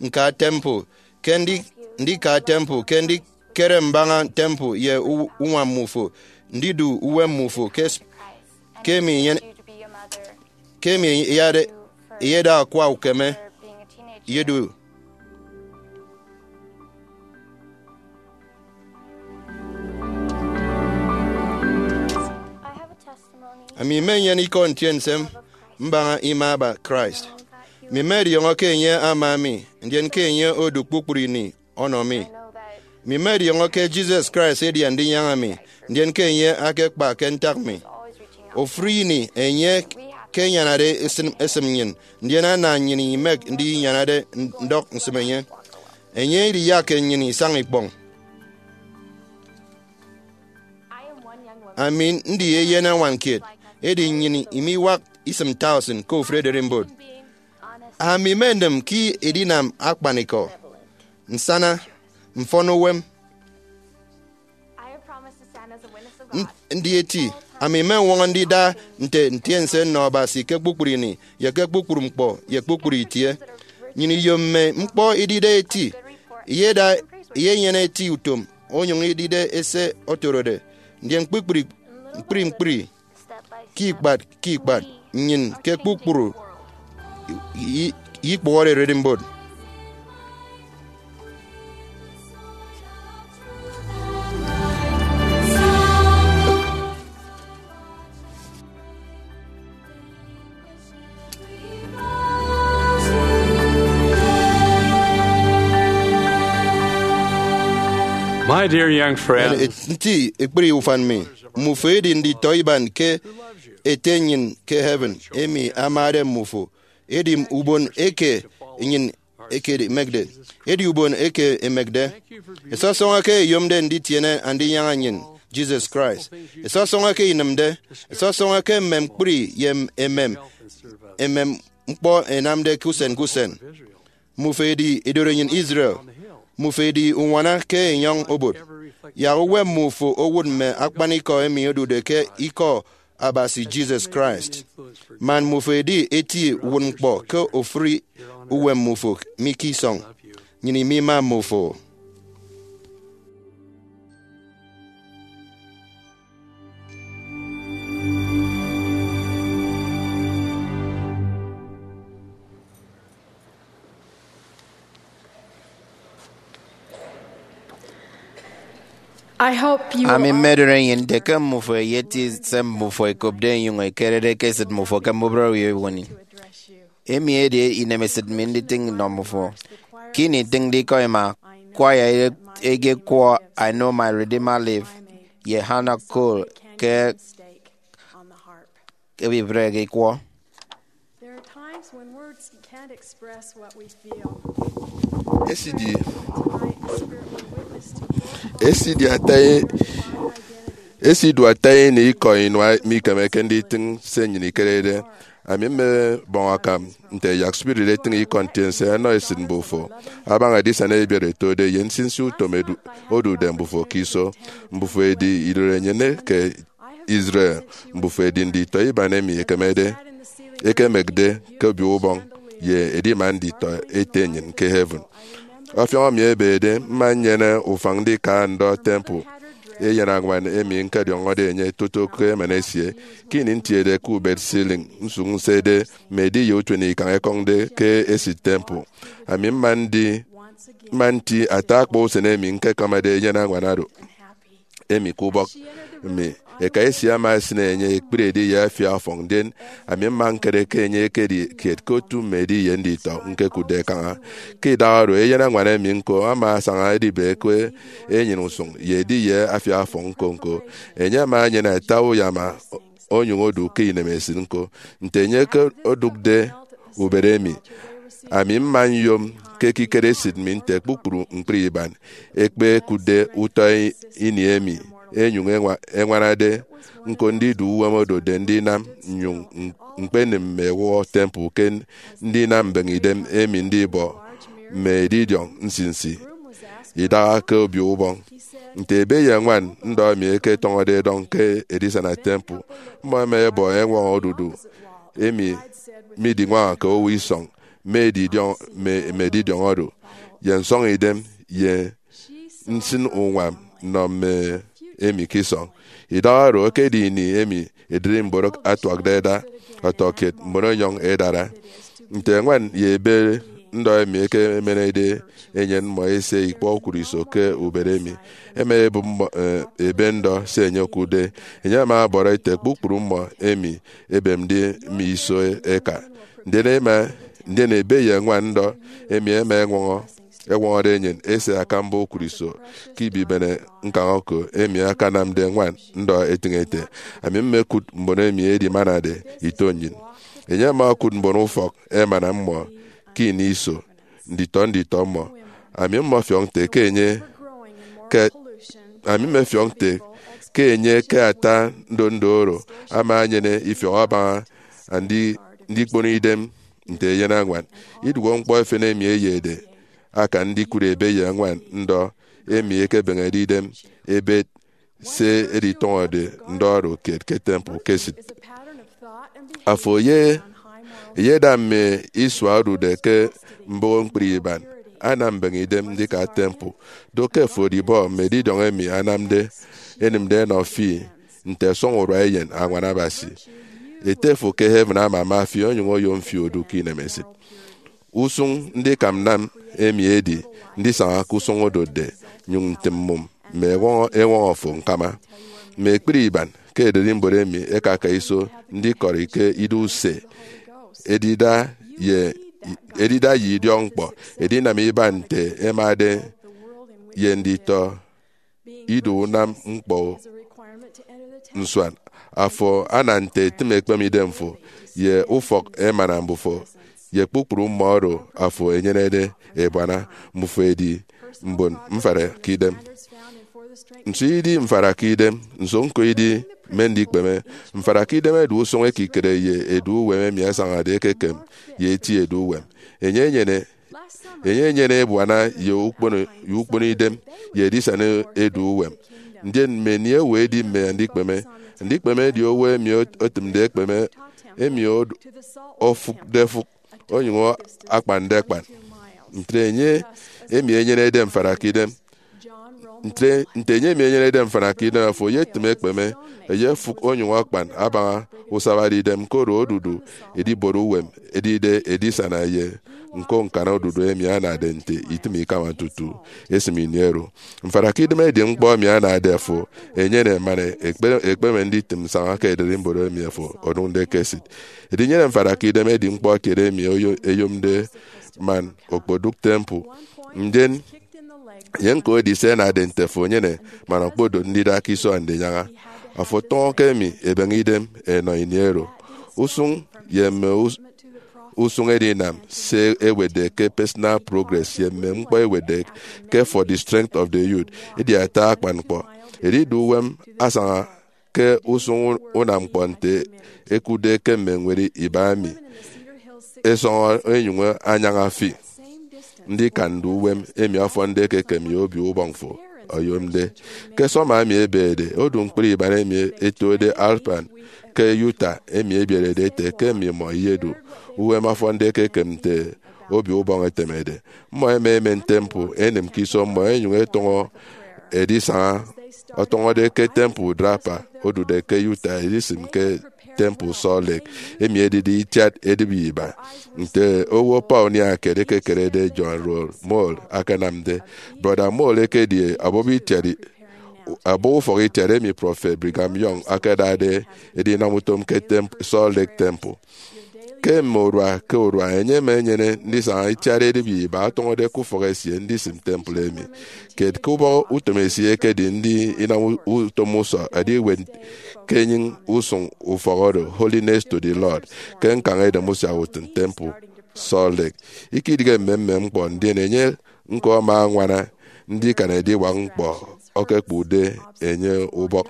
ñka temple, ke ndika temple, ke ndikere mbaña temple ye uñwam mmufo, ndidu uwem mmufo ke emi ke emi eyada akwa ukeme ye do. Ami mmenyene ikọ ntiense mbaña ima aba Christ. Mi mmọdiọñọ ke enye ama mi, ndien ke enye odu kpukpru ini ọnọ mi. Mi mmọdiọñọ ke Jesus Christ edi Andinyaña mi, ndien ke enye akekpa ke ntak mi. Ofụri ini enye ke enyanade esịm esịm nnyịn, ndien ana nnyịn imek ndinyanade ndọk nsịm enye. Enye idiyakke nnyịn isaña ikpọñ. Ami ndi eyen añwan kiet, edi nnyịn imiwak isịm tausin ke ofụri ererimbot. Ami mmenịm ke edinam akpanikọ, nsana, mfọn uwem. Ndi eti, ami mmeñwọñọ ndida nte ntiense nnọ Abasi ke kpukpru ini, ye ke kpukpru ñkpọ, ye kpukpru itie. Nnyịn iyom mme ñkpọ idide eti, iyeda, iyenyene eti utom, onyụñ idide ese otorode, ndien kpukpru ñkpri ñkpri, ke ikpat ke ikpat, nnyịn ke kpukpru i- i- ikpụhọde ererimbot. My dear young friend, nti ekpri ufan mi, mmufo edi nditọ iban ke Ete nnyịn ke heaven emi amade mmufo. Edi ubon eke nnyịn ekedimekde, edi ubon eke emekde. Esọsọñọ ke eyomde nditiene Andinyaña nnyịn, Jesus Christ. Esọsọñọ ke inịmde, esọsọñọ ke mme ñkpri ye emem, emem ñkpọ ẹnamde ke usen ke usen. Mmufo edi idorenyin Israel. Mmufo edi uñwana ke enyọñ obot. Yak uwem mmufo owut mme akpanikọ emi odude ke ikọ Abasi Jesus Christ. Man mmufo edi eti uwut ñkpọ ke ofuri uwem mmufo mi ke isọñ, nnyịn imima mmufo. I hope you Ami are mmedoro enyịn nte ke mmufo eyeti se mmufo ekopde enyụñ ekerede ke esịt mmufo ke mbubịre owo ewoni. Emi edi inemesịt mi nditịñ nnọ mmufo. Ke ini itịñde ikọ ima, kwaya eyekwọ I Know My Redeemer Live ye Hannah Cole ke ebibịreke ikwọ. There are times when words can't express what we feel. Esidi, Tonight, the Spirit will witness to your heart, esidi ata e-, my identity. Esidu ata ini ikọ inua mikemeke nditịñ se nnyịn ikerede. Ami mmebọñ akam nte yak spirit etịñ ikọ ntiense ẹnọ esịt mbufo abaña edisana ebiet ẹtode ye nsinsi utom edu-, odude mbufo ke iso. Mbufo edi idorenyin ke Israel, mbufo edi nditọ iban emi ekemede, ekemekde ke obio ubọñ ye edima nditọ ete nnyịn ke heaven. Ọfiọñ mi ebede, mma nnyene ufañ ndika ndọ temple eyenañwan emi ñkọdiọñọde enye toto ke emana esie. Ke ini ntiede ke ubet ceiling, nsụk nsede mme ediye utuenikañ ẹkọñde ke esịt temple, ami mma ndi, mma nti ata akpa usen emi ñkekọmọde eyenañwan oro. Emi ke ubọk mi, eka esie ama esịn enye ekpri ediye afia ọfọñ, ndien ami mma ñkere ke enye ekedi kiet ke otu mme ediye nditọ ñkekụtde kaña. Ke idaha oro, eyenañwan emi ñko ama asaña edibe ke enyịn usụñ ye ediye afia ọfọñ ñko-ñko. Enye ama enyene ata uyama onyụñ odu ke inemesịt ñko. Nte enye ke odụkde ubet emi, ami mma nyom ke ekikere esịt mi nte kpukpru ñkpri iban ekpekụtde utọ i-, ini emi, enyụñ eñwa-, eñwanade ñko ndidu uwem odotde ndinam, nnyụñ m-, ñkpenịm mme ewụhọ temple ke ndinam mbeñe idem emi ndibọ mme edidiọñ nsinsi idaha ke obio ubọñ. Nte ebe ye ñwan ndọ emi ẹketọñọde ẹdọñ ke edisana temple, mmọ ẹma ẹbọ eñwọñọ odudu emi midiñwañake owo isọñ mme edidiọñ, mme, mme edidiọñ oro, ye nsọñidem, ye nsịn uñwam nnọ mme emi ke isọñ. Idaha oro ekedi ini emi ererimbot atuakde ẹda, ọtọkiet mbon enyọñ ẹdara. Nte ñwan ye ebe ndọ emi ẹkemenede enyịn mmọ ẹse ikpọ ukụt iso ke ubet emi, ẹma ẹbụp mmọ, eh, ebe ndọ se enye okụtde. Enye ama ọbọrọ ete kpukpru mmọ emi ẹbemde mme iso ẹka. Ndien ẹma, ndien ebe ye ñwan ndọ emi ẹma ẹñwọñọ, ẹñwọñọde enyịn ẹse akamba ukụt iso ke ibibene ñkañ oko emi akanamde ñwan ndọ etịñ ete, ami mmekụt mbon emi ẹdimanade ito nnyịn. Enye ama okụt mbon ufọk emana mmọ ke ini iso, nditọ nditọ mmọ. Ami mmọfiọk nte ke enye ke, ami mmefiọk nte ke enye ke ata ndondo oro ama enyene ifiọk abaña andi-, ndikpono idem nte eyenañwan. Idụhe ñkpọ efen emi eyede akan ndikụt ebe ye ñwan ndọ emi ẹkebeñede idem ẹbet se editọñọde ndọ oro kiet ke temple ke esịt. Afo ye, eyeda mme isua odude ke mboho ñkpri iban, anam mbeñe idem ndika temple. Do ke afo odibọ mme edidiọñ emi anamde, enịmde ẹnọ fi nte ẹsọñ urua eyen añwan Abasi. Ete fo ke heaven amama fi onyụñ oyom fi odu ke inemesịt. Usụñ ndikam nnam emi edi ndisaña ke usụñ odotde, nyụñ ntịm mmụm mme ewọñọ, ewọñọ fo ñkama. Mme ekpri iban ke ererimbot emi ẹkaka iso ndikọri ke ido use, edida ye, edida ye idiọkñkpọ, edinam iban nte ẹmade ye nditọ ido unam ñkpọ nsuan. Afo ana nte etịm ekpeme idemfo ye ufọk emana mbufo ye kpukpru mmọ oro afo enyenede ebuana. Mbufo edi mbon mfarakidem. Nso idi mfarakidem? Nso ñko idi mme ndikpeme? Mfarakidem edu usụñ ekikere ye edu uwem emi asañade ekekem ye eti edu uwem. Enye enyene Enye enyene ebuana ye ukpono, ye ukpono idem, ye edisana edu uwem. Ndien mme ini owo edi mme andikpeme. Andikpeme edi owo emi ot-, otịmde ekpeme, emi od-, ofụkde efụk, onyụñ akpande akpan. Ntre enye emi enyenede mfarakidem, ntre, nte enye emi enyenede mfarakidem afo eyetịm ekpeme, eyefụk onyụñ akpan abaña usabade idem, koro odudu edibot uwem edide edisana ye ñko ñkana odudu emi anade nte itịm ikama tutu esịm ini oro. Mfarakidem edi ñkpọ emi anade afo enyene man ekpe-, ekpeme nditịm nsaña ke ererimbot emi afo odụñde ke esịt. Edinyene mfarakidem edi ñkpọ kiet emi oyo-, eyomde man okpodụk temple. Ndien, ye ñko edi se anade nte afo enyene man okpodot ndida ke iso andinyaña. Afo tọñọ ke emi ebeñe idem enọ ini oro. Usụñ ye mme us-, usụñ edinam se ewetde ke Personal Progress ye mme ñkpọ ewetde ke For the Strength of the Youth edi ata akpan ñkpọ. Edidu uwem asaña ke usụñ unam ñkpọ nte ekụtde ke mme ñwed iba emi ẹsọñọ ẹnyụñ anyaña fi. Ndikan ndu uwem emi ọfọnde ekekem ye obio ubọñ fo oyomde. Ke summer emi ebede, odu ñkpri iban emi etode Alpine ke Utah emi ebierede ete ke mmimọ iyedu uwem ọfọnde ekekem nte obio ubọñ etemede. Mmọ ẹma ẹmen temple ẹnịm ke iso mmọ ẹnyụñ ẹtọñọ edisaña, ọtọñọde ke Temple Draper odude ke Utah edisịm ke Temple Salt Lake, emi edide itiat edịbi iba. Nte owo pioneer kiet ekekerede John Rowe Moyle akanamde, Brọda Moyle ekedi abọbọ itiat, abọbọ ufọk itiat emi Prọfet Brigham Young akadade edinam utom ke Temp-, Salt Lake Temple. Ke mme urua ke urua, enye ama enyene ndisaña itiat edịbi iba ọtọñọde ke ufọk esie ndisịm temple emi. Kiet ke ubọhọ utom esie ekedi ndi inam u-, utom usọ ediwet ke enyịñ usụñ ufọk oro, Holiness to the Lord, ke ñkañ edem usiahautịn Temple Salt Lake. Ikidịghe mmemmem ñkpọ, ndien enye ñko ama añwana ndikan ediwak ñkpọ okekpụkde enye ubọk.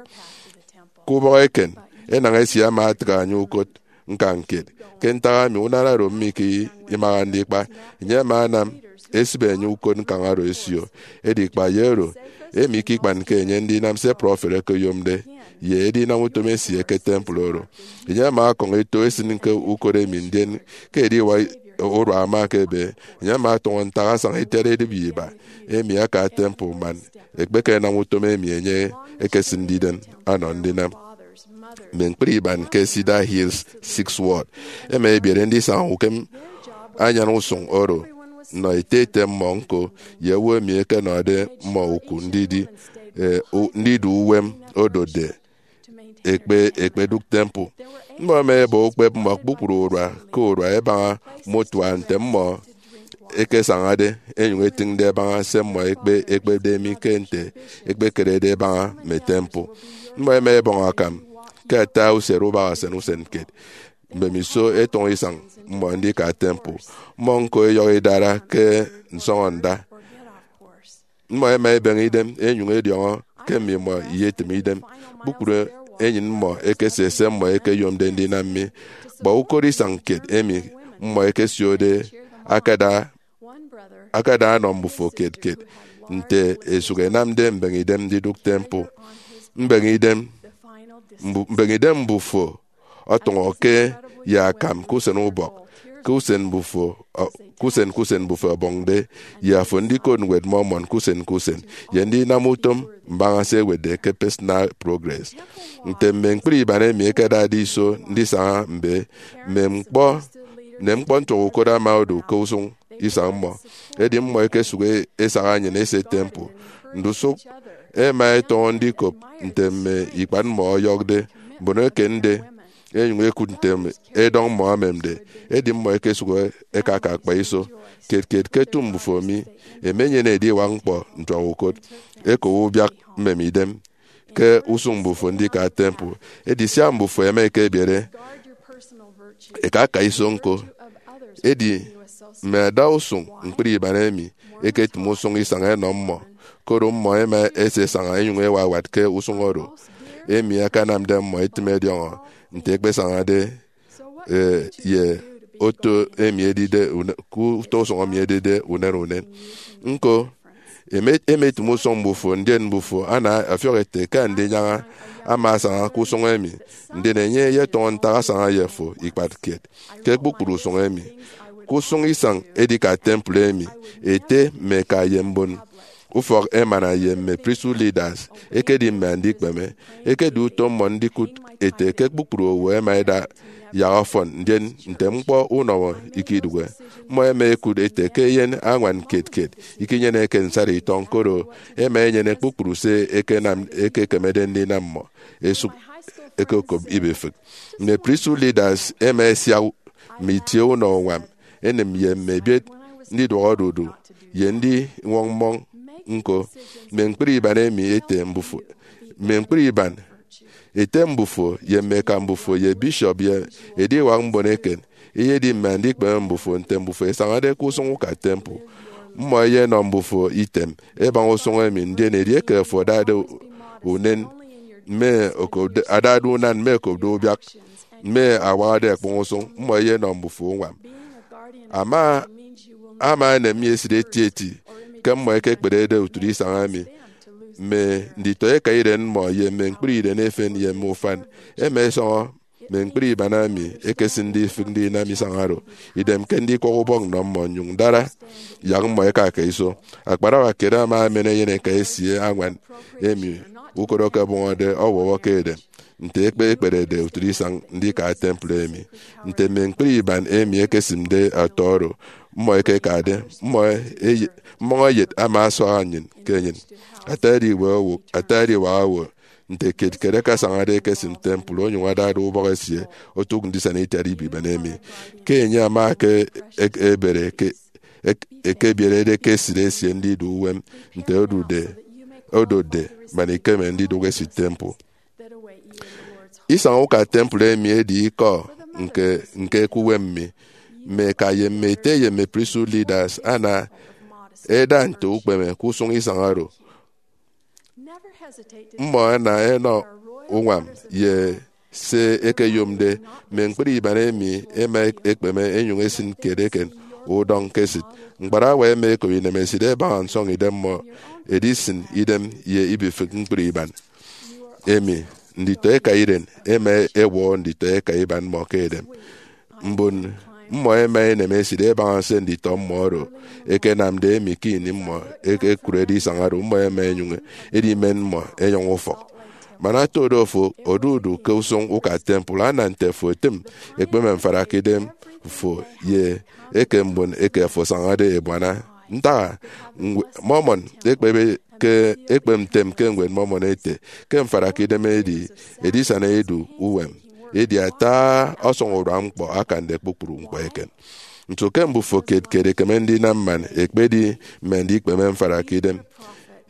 Ke ubọk eken, enañ esie ama atịk anye ukot ñkañ kiet. Ke ntak emi unana oro mike imaha ndikpa, enye ama anam esịbe enye ukot ñkañ oro esio. Edi kpa ye oro, emi ikikpanke enye ndinam se prọfet eke oyomde ye edinam utom esie ke temple oro. Enye ama ọkọñ eto esịn ke ukot emi, ndien ke ediwak urua ama ekebe, enye ama ọtọñọ ntak asaña itiat edịbi iba emi aka temple man ekpekenam utom emi enye ekesịnde idem ọnọ ndinam. Mme ñkpri iban ke Cedar Hills Sixth Ward ẹma ẹbiere ndisaña ukem anyan usụñ oro nnọ ete ete mmọ ñko ye owo emi ẹkenọde mmọ uku ndidi, eh, u-, ndidu uwem odotde ekpe, ekpedụk temple. Mmọ ẹma ẹbọ ukpep mmọ kpukpru urua ke urua ẹbaña mutual nte mmọ ẹkesañade ẹnyụñ ẹtịñde ẹbaña se mmọ ẹkpe, ẹkpepde mi ke nte ẹkpekerede ẹbaña mme temple. Mmọ ẹma ẹbọñ akam ke ata usiere ubaña usen usen kiet. Mbemiso ẹtọñọ isañ mmọ ndika temple, mmọ ñko ẹyọhọ idara ke nsọñọnda. Mmọ ẹma ẹbeñe idem ẹnyụñ ẹdiọñọ ke mmimọ iyetịm idem. Kpukpru enyịn mmọ ẹkesie se mmọ ẹkeyomde ndinam mi. Kpa ukot isañ kiet emi mmọ ẹkesiode akada, akada ọnọ mbufo kiet kiet nte ẹsụk ẹnamde mbeñe idem ndidụk temple. Mbeñe idem, mbu-, mbeñe idem mbufo ọtọñọke ye akam ke usen ubọk, ke usen mbufo, ọ, ke usen, ke usen mbufo ọbọñde, ye afo ndikot ñwed Mormon ke usen ke usen, ye ndinam utom mbaña se ẹwetde ke Personal Progress. Nte mme ñkpri iban emi ẹkedade iso ndisaña mbe, mme ñkpọ, mme ñkpọ ntuak ukot ama odu ke usụñ isañ mmọ. Edi mmọ ẹkesụk e-, ẹsaha nnyịn ẹse temple. Ndusụk ẹma ẹtọñọ ndikop nte mme ikpat mmọ ọyọkde, mbon eken nde, ẹnyụñ ẹkụt nte edọñ mmọ ẹmemde. Edi mmọ ẹkesụk ẹkaka akpa iso. Kiet kiet ke eto mbufo mi, ẹmenyene ediwak ñkpọ ntuak ukot, ẹkowo ubiak mmem idem ke usụñ mbufo ndika temple. Edi sia mbufo ẹma ẹkebiere, ẹkaka iso ñko. Edi mme ada usụñ ñkpri iban emi ẹketịm usụñ isañ ẹnọ mmọ, koro mmọ ẹma ẹse ẹsaña ẹnyụñ ẹwawat ke usụñ oro, emi akanamde mmọ ẹtịm ẹdiọñọ nte ẹkpesañade, eh, ye oto emi edide une- ke utọ usụñ emi edide unen unen. Ñko, eme- emetịm usụñ mbufo, ndien mbufo ana ọfiọk ete ke andinyaña ama asaña ke usụñ emi, ndien enye eyetọñọ ntak asaña ye fo ikpat kiet ke kpukpru usụñ emi. Ke usụñ isañ edika temple emi, ete mme eka ye mbon ufọk emana ye mme priesthood leaders ekedi mme andikpeme. Ekedi utom mmọ ndikụt ete ke kpukpru owo ẹma ẹda yak ọfọn, ndien nte ñkpọ unọmọ ikidụhe. Mmọ ẹma ẹkụt ete ke eyen añwan kiet kiet ikinyeneke nsara itọñ, koro ẹma ẹnyene kpukpru se ẹkenam, ẹkekemede ndinam mmọ esụk ẹkekop ibifịk. Mme priesthood leaders ẹma ẹsiak mme itie unọ uñwam ẹnịm ye mme ebiet ndiduọk odudu ye ndiñwọñ mmọñ. Ñko, mme ñkpri iban emi ete mbufo, mme ñkpri iban ete mbufo ye mme eka mbufo ye bishop ye ediwak mbon eken eyedi mme andikpeme mbufo nte mbufo ẹsañade ke usụñ uka temple. Mmọ ẹyenọ mbufo item ẹbaña usụñ emi, ndien edieke afo adade unen, mme okopde- adade unan mme okopde ubiak, mme awakde ẹkpọñ usụñ, mmọ ẹyenọ mbufo uñwam. Ama ama enem mi esịt etieti ke mmọ ẹkekperede utịt isañ emi. Mme nditọ eka iren mmọ ye mme ñkpri iren efen ye mme ufan ẹma ẹsọñọ mme ñkpri iban emi ẹkesịnde ifịk ndinam isañ oro, idem ke ndikwọk ubọk nnọ mmọ nnyụñ ndara yak mmọ ẹka ke iso. Akparawa kiet ama emen eyeneka esie añwan emi ukot okebọñọde ọwọwọ ke edem. Nte ekpe ekperede utịt isañ ndika temple emi, nte mme ñkpri iban emi ẹkesịmde ọtọ oro mmọ ẹkekade, mmọ eye- mmọñ eyet ama asuaha nnyịn ke enyịn. Ata ediwak owo, ata ediwak owo, nte kiet kiet akasañade ekesịm temple onyụñ adade ubọk esie otụk ndisana itiat ibiban emi. Ke enye ama ke ek- ebere ke ek- ekebierede ke esịt esie ndidu uwem nte odude odotde man ikeme ndidụk esịt temple. Isañ uka temple emi edi ikọ nke nke ke uwem mi. Mme eka ye mme ete ye mme priesthood leaders ana eda nte ukpeme ke usụñ isañ oro. Mmọ ẹna ẹnọ uñwam ye se ẹkeyomde. Mme ñkpri iban emi ẹma ẹkpeme ẹnyụñ ẹsịn kiet eken udọñ ke esịt. Ñkparawa ẹma ẹkop inemesịt ẹbaña nsọñidem mmọ, ẹdisịn idem ye ibifịk ñkpri iban emi. Nditọ eka iren ẹma ẹwọhọ nditọ eka iban mmọ ke edem. Mbon mmọ ẹma ẹnem esịt ẹbaña se nditọ mmọ oro ẹkenamde emi ke ini mmọ ẹkekụrede isañ oro, mmọ ẹma ẹnyụñ ẹdimen mmọ ẹnyọñ ufọk. Man otode ofo odudu ke usụñ uka temple, ana nte afo etịm ekpeme mfarakidem fo ye eke mbon eke afo asañade ebuana. Ntak-a? Ñwed Mormon ekpebe ke ekpep ntem ke Ñwed Mormon ete ke mfarakidem edi edisana edu uwem, edi ata ọsọñurua ñkpọ akande kpukpru ñkpọ eken. Nso ke mbufo kiet kiet ẹkeme ndinam man ẹkpedi mme andikpeme mfarakidem?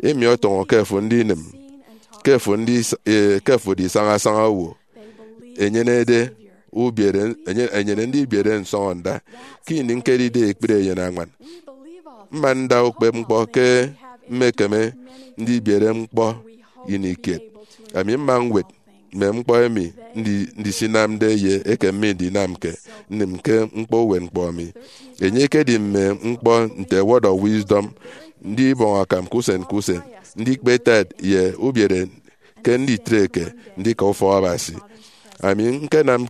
Emi ọtọñọ ke afo ndinịm ke afo ndis- eh, ke afo edi sañasaña owo enyenede ubiere enye- enyene ndibiere nsọñọnda ke ini ñkedide ekpri eyenañwan. Mma nda ukpepñkpọ ke mmekeme ndibiere ñkpọ ini kiet. Ami mma ñwet mme ñkpọ emi ndi- ndisinamde ye eke mme ndinamke nnịm ke ñkpọ uwetñkpọ mi. Enye ekedi mme ñkpọ nte Word of Wisdom, ndibọñ akam ke usen ke usen, ndikpe tithe ye ubiere ke nditreke ndika ufọk Abasi. Ami ñkenam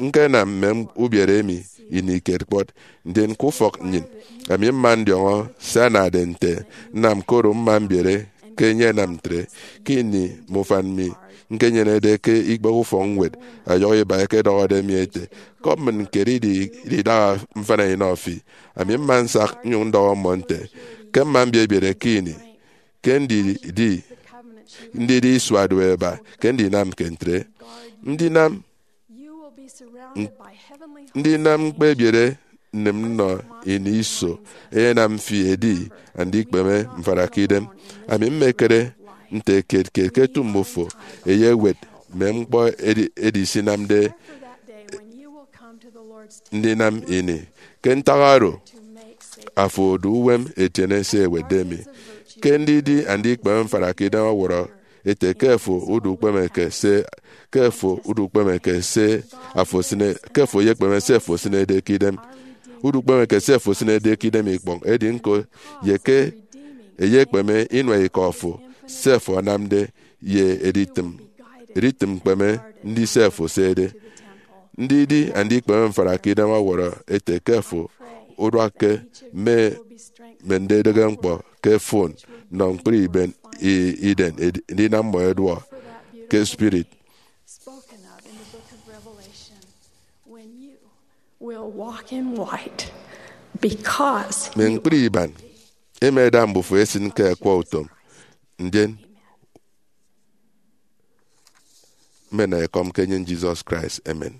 ñkenam mme ubiere emi ini kiet kpọt, ndien ke ufọk nnyịn, ami mma ndiọñọ se anade nte nnam, koro mma mbiere ke enye ẹnam ntre. Ke ini mme ufan mi ñkenyenede ke ikpehe ufọkñwed, ọyọhọ iba ẹkedọhọde mi ẹte, kop mmịn kiet idi idaha mfana inọ fi. Ami mma nsak nnyụñ ndọhọ mmọ nte, ke mma mbiebiere ke ini ke ndidi ndidi isua duoeba ke ndinamke ntre. Ndinam ndinam ñkpebiere nnịm nnọ ini iso eyenam fi edi andikpeme mfarakidem. Ami mmekere nte kiet kiet ke etu mbufo eyewet mme ñkpọ edi- edisinamde ndinam ini. Ke ntak oro, afo odu uwem etiene se ewetde mi. Ke ndidi andikpeme mfarakidem ọwọrọ ete ke afo udukpemeke se ke afo udukpemeke se afo esine ke afo eyekpeme se afo esinede ke idem. Udukpemeke se afo esinede ke idem ikpọñ, edi ñko ye ke eyekpeme inua ikọ fo, se afo anamde, ye editịm editịm ñkpeme ndise afo esede. Ndidi andikpeme mfara ke idem ọwọrọ ete ke afo uduakke mme mme ndidịghe ñkpọ ke fon nọ ñkpri iben i- iden edi- ndinam mmọ ẹduọ ke spirit. Spoken of in the book of Revelation, when you will walk in white because mme ñkpri iban ema eda mbufo esin ke akwa utom, ndien mmena ekọm ke enyin Jesus Christ. Amen.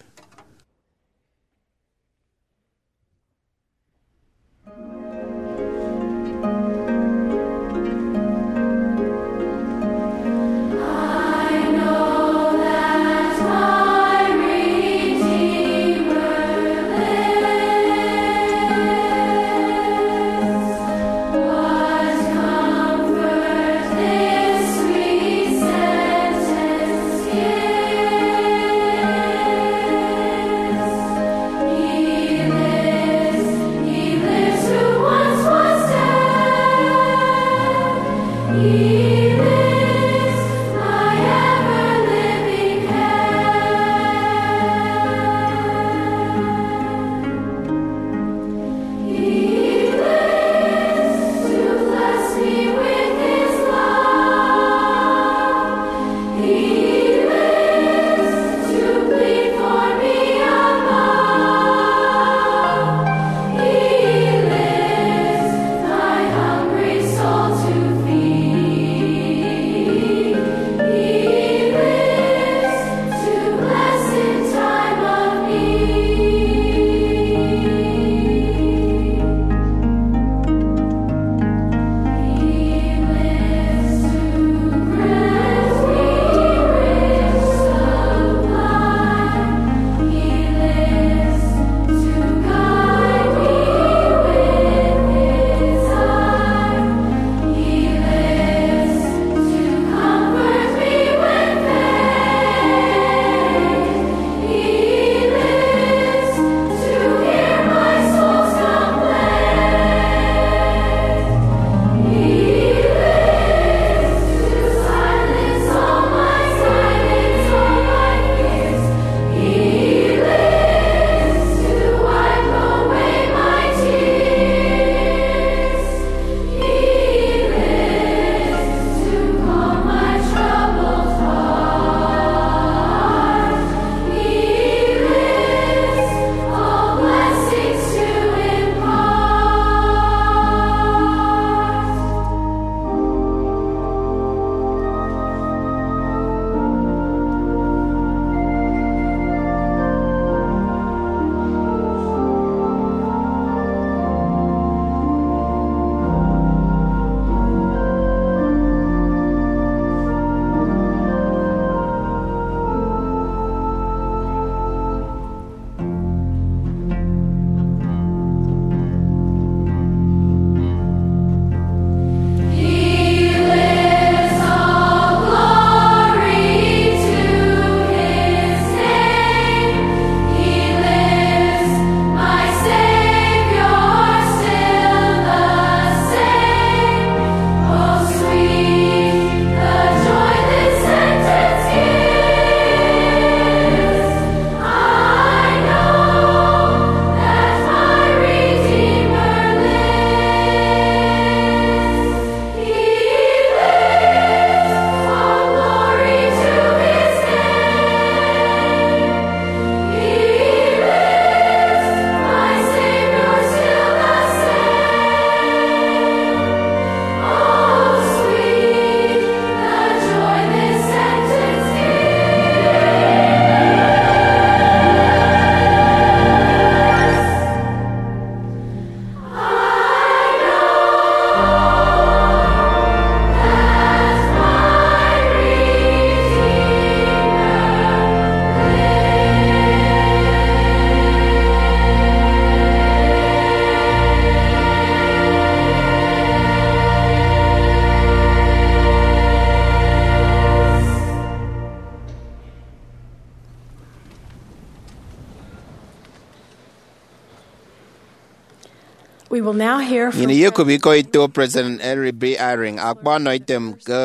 We will now hear from Nnyịn iyekop ikọ ito President Henry B. Eyring, akpa ọnọ item ke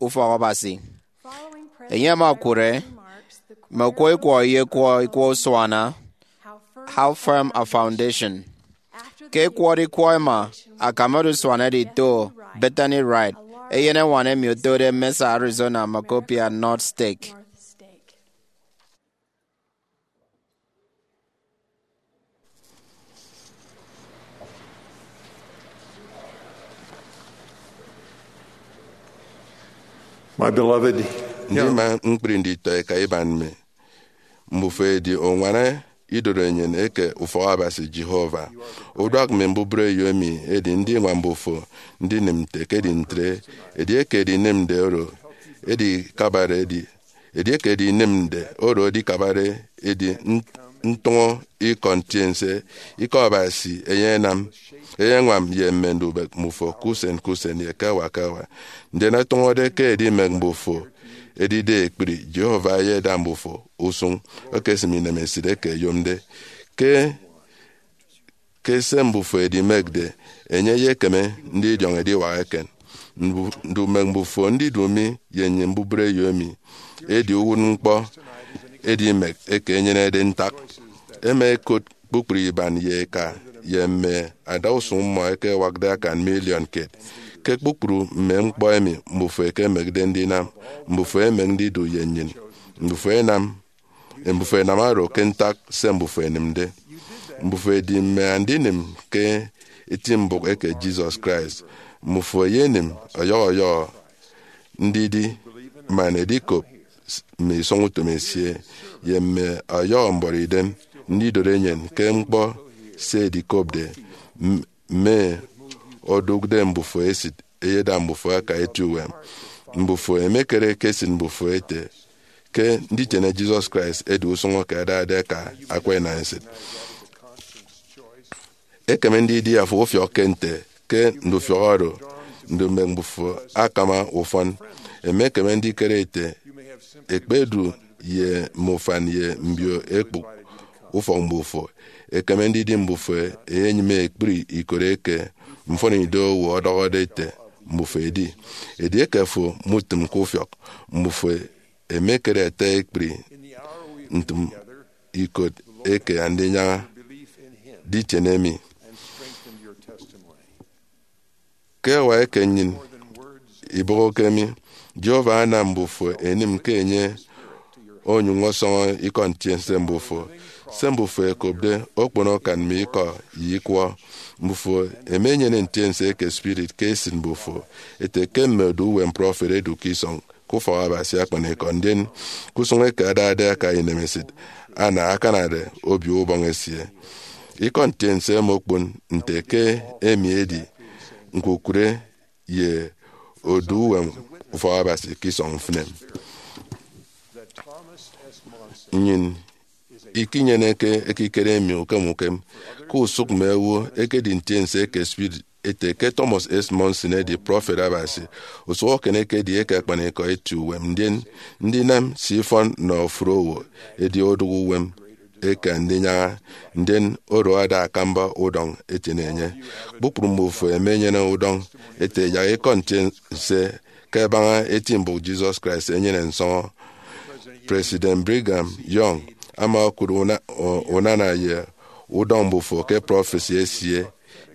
ufọk Abasi. Enye ama okụre mme okwọ ikwọ ye ekwọ ikwọ usuana, How Firm a Foundation. Ke ẹkwọde ikwọ ẹma, akam odusuana edito Bethany Wright, eyeneñwan emi otode Mesa, Arizona, Macopia North Stake. My beloved, Ndima ñkpri nditọ eka iban mi, mbufo edi uñwana idorenyin eke ufọk Abasi Jehovah. Uduak mme mbubreyo emi edi ndiñwam mbufo ndinịm nte ekedi ntre. Edieke edinịmde oro edikabare edi, edieke edinịmde oro edikabare edi nt- ntụñọ ikọ ntiense, ikọ Abasi eyenam, eyeñwam ye mme ndubek mbufo ke usen ke usen ye ke hour ke hour. Ndien ọtụñọde ke edimek mbufo edide ekpri, Jehovah eyeda mbufo usụñ okesịm inemesịt eke ẹyomde. Ke ke se mbufo edimekde, enye eyekeme ndidiọñ ediwak eken. Mbu- ndumek mbufo ndidu mi ye nnyịn mbubreyo emi edi uwụtñkpọ edimek eke enyenede ntak. Ẹma ẹkot kpukpru iban ye eka ye mme adausụñ mmọ eke ẹwakde akan miliọn kiet. Ke kpukpru mme ñkpọ emi mbufo ẹkemekde ndinam, mbufo ẹmek ndidu ye nnyịn. Mbufo ẹnam Mbufo ẹnam oro ke ntak se mbufo ẹnịmde. Mbufo edi mme andinịm ke eti mbụk eke Jesus Christ. Mbufo ẹyenịm ọyọhọ ọyọhọ ndidi man edikop mme isọñ utom esie ye mme ọyọhọ mbuọtidem ndidot enyịn ke ñkpọ se edikopde. M- mme odụkde mbufo esịt eyeda mbufo aka eti uwem. Mbufo ẹmekere ke esịt mbufo ete ke nditiene Jesus Christ edi usụñ eke adade aka akwa enaesịt. Ekeme ndidi afo ufiọkke nte ke ndufiọk oro ndumek mbufo akama ufọn. Emekeme ndikere ete ekpedu ye mme ufan ye mbio ekpụk ufọk mbufo. Ekeme ndidi mbufo ẹyenyịme ekpri ikot eke mfọnido owo ọdọhọde ete mbufo ẹdi. Edieke afo mutịm ke ufiọk, mbufo ẹmekere ẹta ekpri ntịm ikot eke Andinyaña. Ditiene mi. Ke hour eke nnyịn ibọhọke mi, Jehovah anam mbufo ẹnịm ke enye onyụñ ọsọñọ ikọ ntiense mbufo. Se mbufo ẹkopde okpono akan mme ikọ ye ikwọ. Mbufo ẹmenyene ntiense eke spirit ke esịt mbufo ete ke mme odu uwem prọfet ẹdu ke isọñ ke ufọk Abasi akpanikọ, ndien ke usụñ eke adade aka inemesịt, ana akanade Obio Ubọñ esie. Ikọ ntiense ẹma okpon nte ke emi edi ñkukụre ye odu uwem ufọk Abasi ke isọñ mfịn emi. Nnyịn ikinyeneke ekikere emi ukem ukem ke usụk mme owo ẹkedi ntiense eke spirit ete ke Thomas S. Monson edi prọfet Abasi. Usụhọkiet ekedi eke akpanikọ eti uwem, ndien ndinam se ifọn nnọ ofụri owo edi odụk uwem eke Andinyaña, ndien oro ada akamba udọñ etiene enye. Kpukpru mbufo ẹmenyene udọñ ete yak ikọ ntiense ke ẹbaña eti mbụk Jesus Christ ẹnyene nsọñọ. President Brigham Young ama okụt una- unana ye udọñ mbufo ke prọfesi esie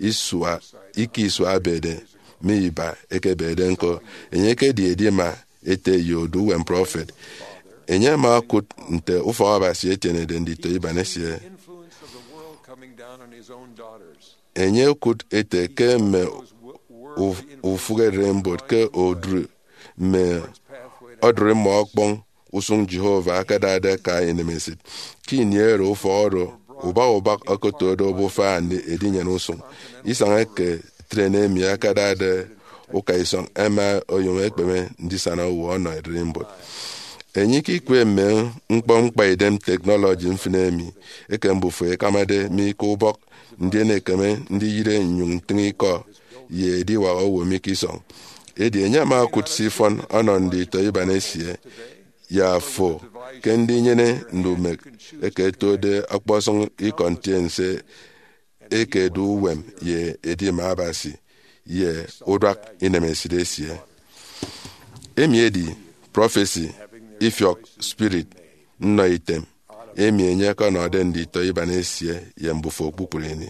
isua, ike isua ebede, mme iba ẹkebede ñko. Enye ekedi edima ete ye odu uwem prọfet. Enye ama okụt nte ufọk Abasi etienede nditọ iban esie. Enye okụt ete ke mme uf- ufụk ererimbot ke odụri mme ọdụri mmọ ọkpọñ usụñ Jehovah akadade aka inemesịt. Ke ini oro ufọk oro ubak ubak okotode obufa edinyene usụñ. Isañ eke tren emi akadade ukaisọñ ẹma oyom ẹkpeme ndisana owo ọnọ ererimbot. Enye ikikwe mme ñkpọ ñkpaidem teknọlọji mfịn emi eke mbufo ikamade mi ke ubọk, ndien ekeme ndiyịre nnyụñ ntịñ ikọ ye ediwak owo mi ke isọñ. Edi enye ama okụt se ifọn ọnọ nditọ iban esie ye afo ke ndinyene ndumek eke ẹtode ọkpọsọñ ikọ ntiense eke edu uwem ye edima Abasi ye uduak inemesit esie. Emi edi prọfesi ifiọk spirit nnọ item emi enye ọkọnọde nditọ iban esie ye mbufo kpukpru ini.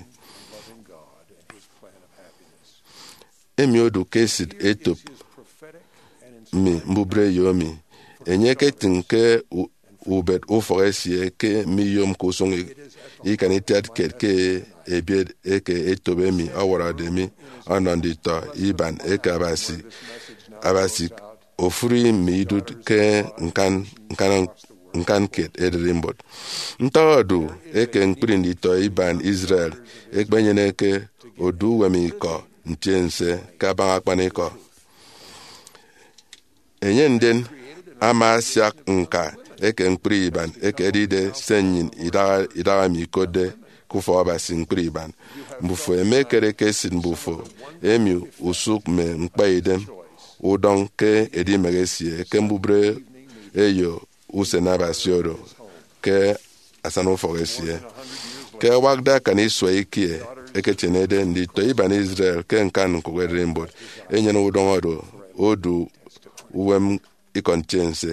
Emi odu ke esit etop mi mbubreyo mi. Enye eketịñ ke u-, ubet ufọk esie ke miyomke usụñ i-, ikan itiat kiet ke ebiet eke etop emi ọwọrọde mi ọnọ nditọ iban eke Abasi. Abasi ofuri mme idụt ke ñkan, ñkan, ñkan kiet ererimbot. Ntọñọ odu eke ñkpri nditọ iban Israel ekpenyeneke odu uwem ikọ ntiense ke abaña akpanikọ. Enye ndien ama asiak ñka eke ñkpri iban eke edide se nnyịn idaha, idaha mi ikotde ke ufọk Abasi ñkpri iban. Mbufo ẹmekere ke esịt mbufo emi usụk mme ñkpaidem udọñ ke edimek esie ke mbubreyo usen Abasi oro ke asana ufọk esie. Ke ẹwakde akan isua ikie ẹketienede nditọ iban Israel ke ñkan ñkụk ererimbot, enyene udọñ oro odu uwem ikọ ntiense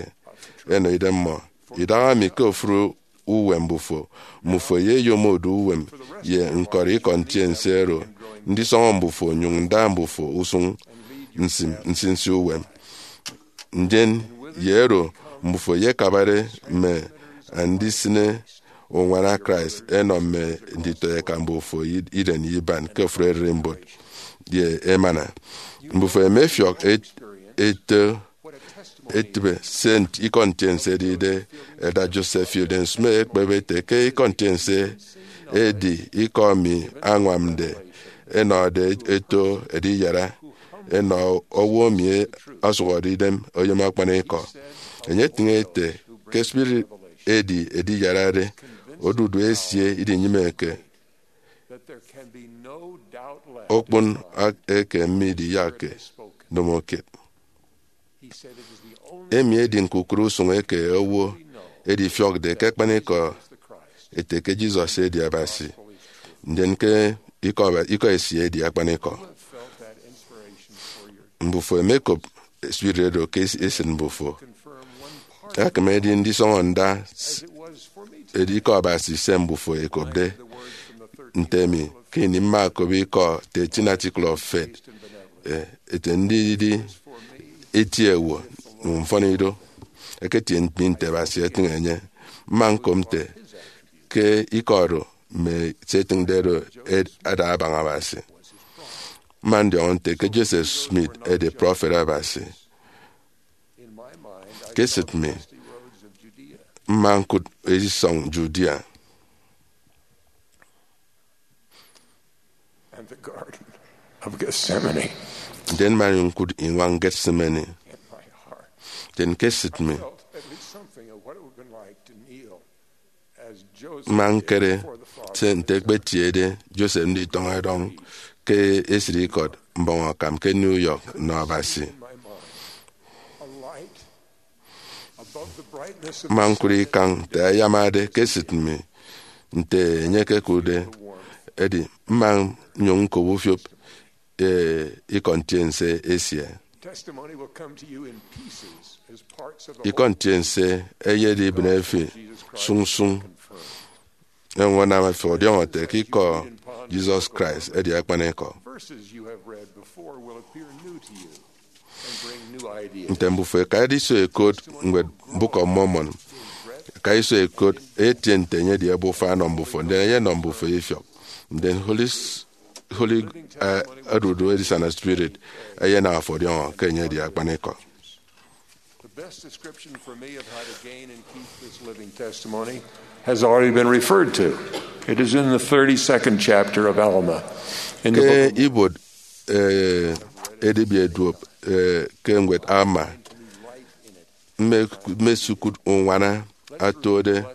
ẹnọ idemmọ. Idaha mi ke ofụri uwem mbufo, mbufo ye eyom odu uwem ye ñkọri ikọ ntiense oro ndisọñọ mbufo nyụñ nda mbufo usụñ nsim nsinsi uwem. Ndien ye oro mbufo yekabare mme andisịne uñwana Christ ẹnọ mme nditọeka mbufo iren ye iban ke ofụri ererimbot ye emana. Mbufo ẹmefiọk et-, eto etịbe se ikọ ntiense edide. Elder Joseph Fielding Smith ekpep ete ke ikọ ntiense edi ikọ mi añwamde ẹnọde eto ediyara ẹnọ owo emi ọsụhọde idem oyom akpanikọ. Enye etịñ ete ke spirit edi ediyarare odudu esie idinyịmeke okpon eke midiyakke ndomokiet. Emi edi ñkukụre usụñ eke owo edifiọkde ke akpanikọ ete ke Jesus edi Abasi, ndien ke ikọ, ikọ esie edi akpanikọ. Mbufo ẹmekop spirit oro ke esịt mbufo. Akam edi ndisọñọ nda s-, edi ikọ Abasi se mbufo ẹkopde. Nte emi, ke ini mma okop ikọ thirteen Article of Faith, eh, ete ndidi eti ewo mfọn ido, eketie mi nte Abasi etịñ enye. Mma ñkop nte ke ikọ oro mme se etịñde oro ed-, ada abaña Abasi. Mma ndiọñọ nte ke Joseph Smith edi prọfet Abasi. Ke esịt mi, mma ñkụt edisọñ Judea. And the Garden of Gethsemane. Ndien mma ñkụt iñwañ Gethsemane. In my heart, ndien ke esịt mi, felt at least something of what it would have been like to kneel as Joseph mma did nkere before the Father. Se nte ekpetiede Joseph nditọñ ẹdọñ ke esịt ikọt mbọñ akam ke New York nnọ Abasi. In my mind, a light above the brightness of the sun. Mma ñkụri ikañ nte ayamade ke esịt mi, nte enye ekekụtde, edi mma nnyụñ ñkop ufiop, eh, ikọ ntiense esie. Testimony will come to you in pieces as parts of the ikọ ntiense eyedi ibịne fi sụñsụñ. Eñwen ama fi ọdiọñọ ete ke ikọ Jesus Christ edi akpanikọ. Verses you have read before will appear new to you and bring new ideas. Nte mbufo ẹkade iso ẹkot ñwed Book of Mormon, ẹka iso ẹkot, etie nte enye edi ebufa ọnọ mbufo, ndien enye enọ mbufo ifiọk. Ndien Holy S-, Holy, eh, odudu edisana Spirit eyenam afo ọdiọñọ ke enye edi akpanikọ. The best description for me of how to gain and keep this living testimony has already been referred to. It is in the thirty-second chapter of Alma. In the Ke book of ibuot, eh, edibia duop, eh, ke ñwed Alma, mme, mme sukut uñwana atuode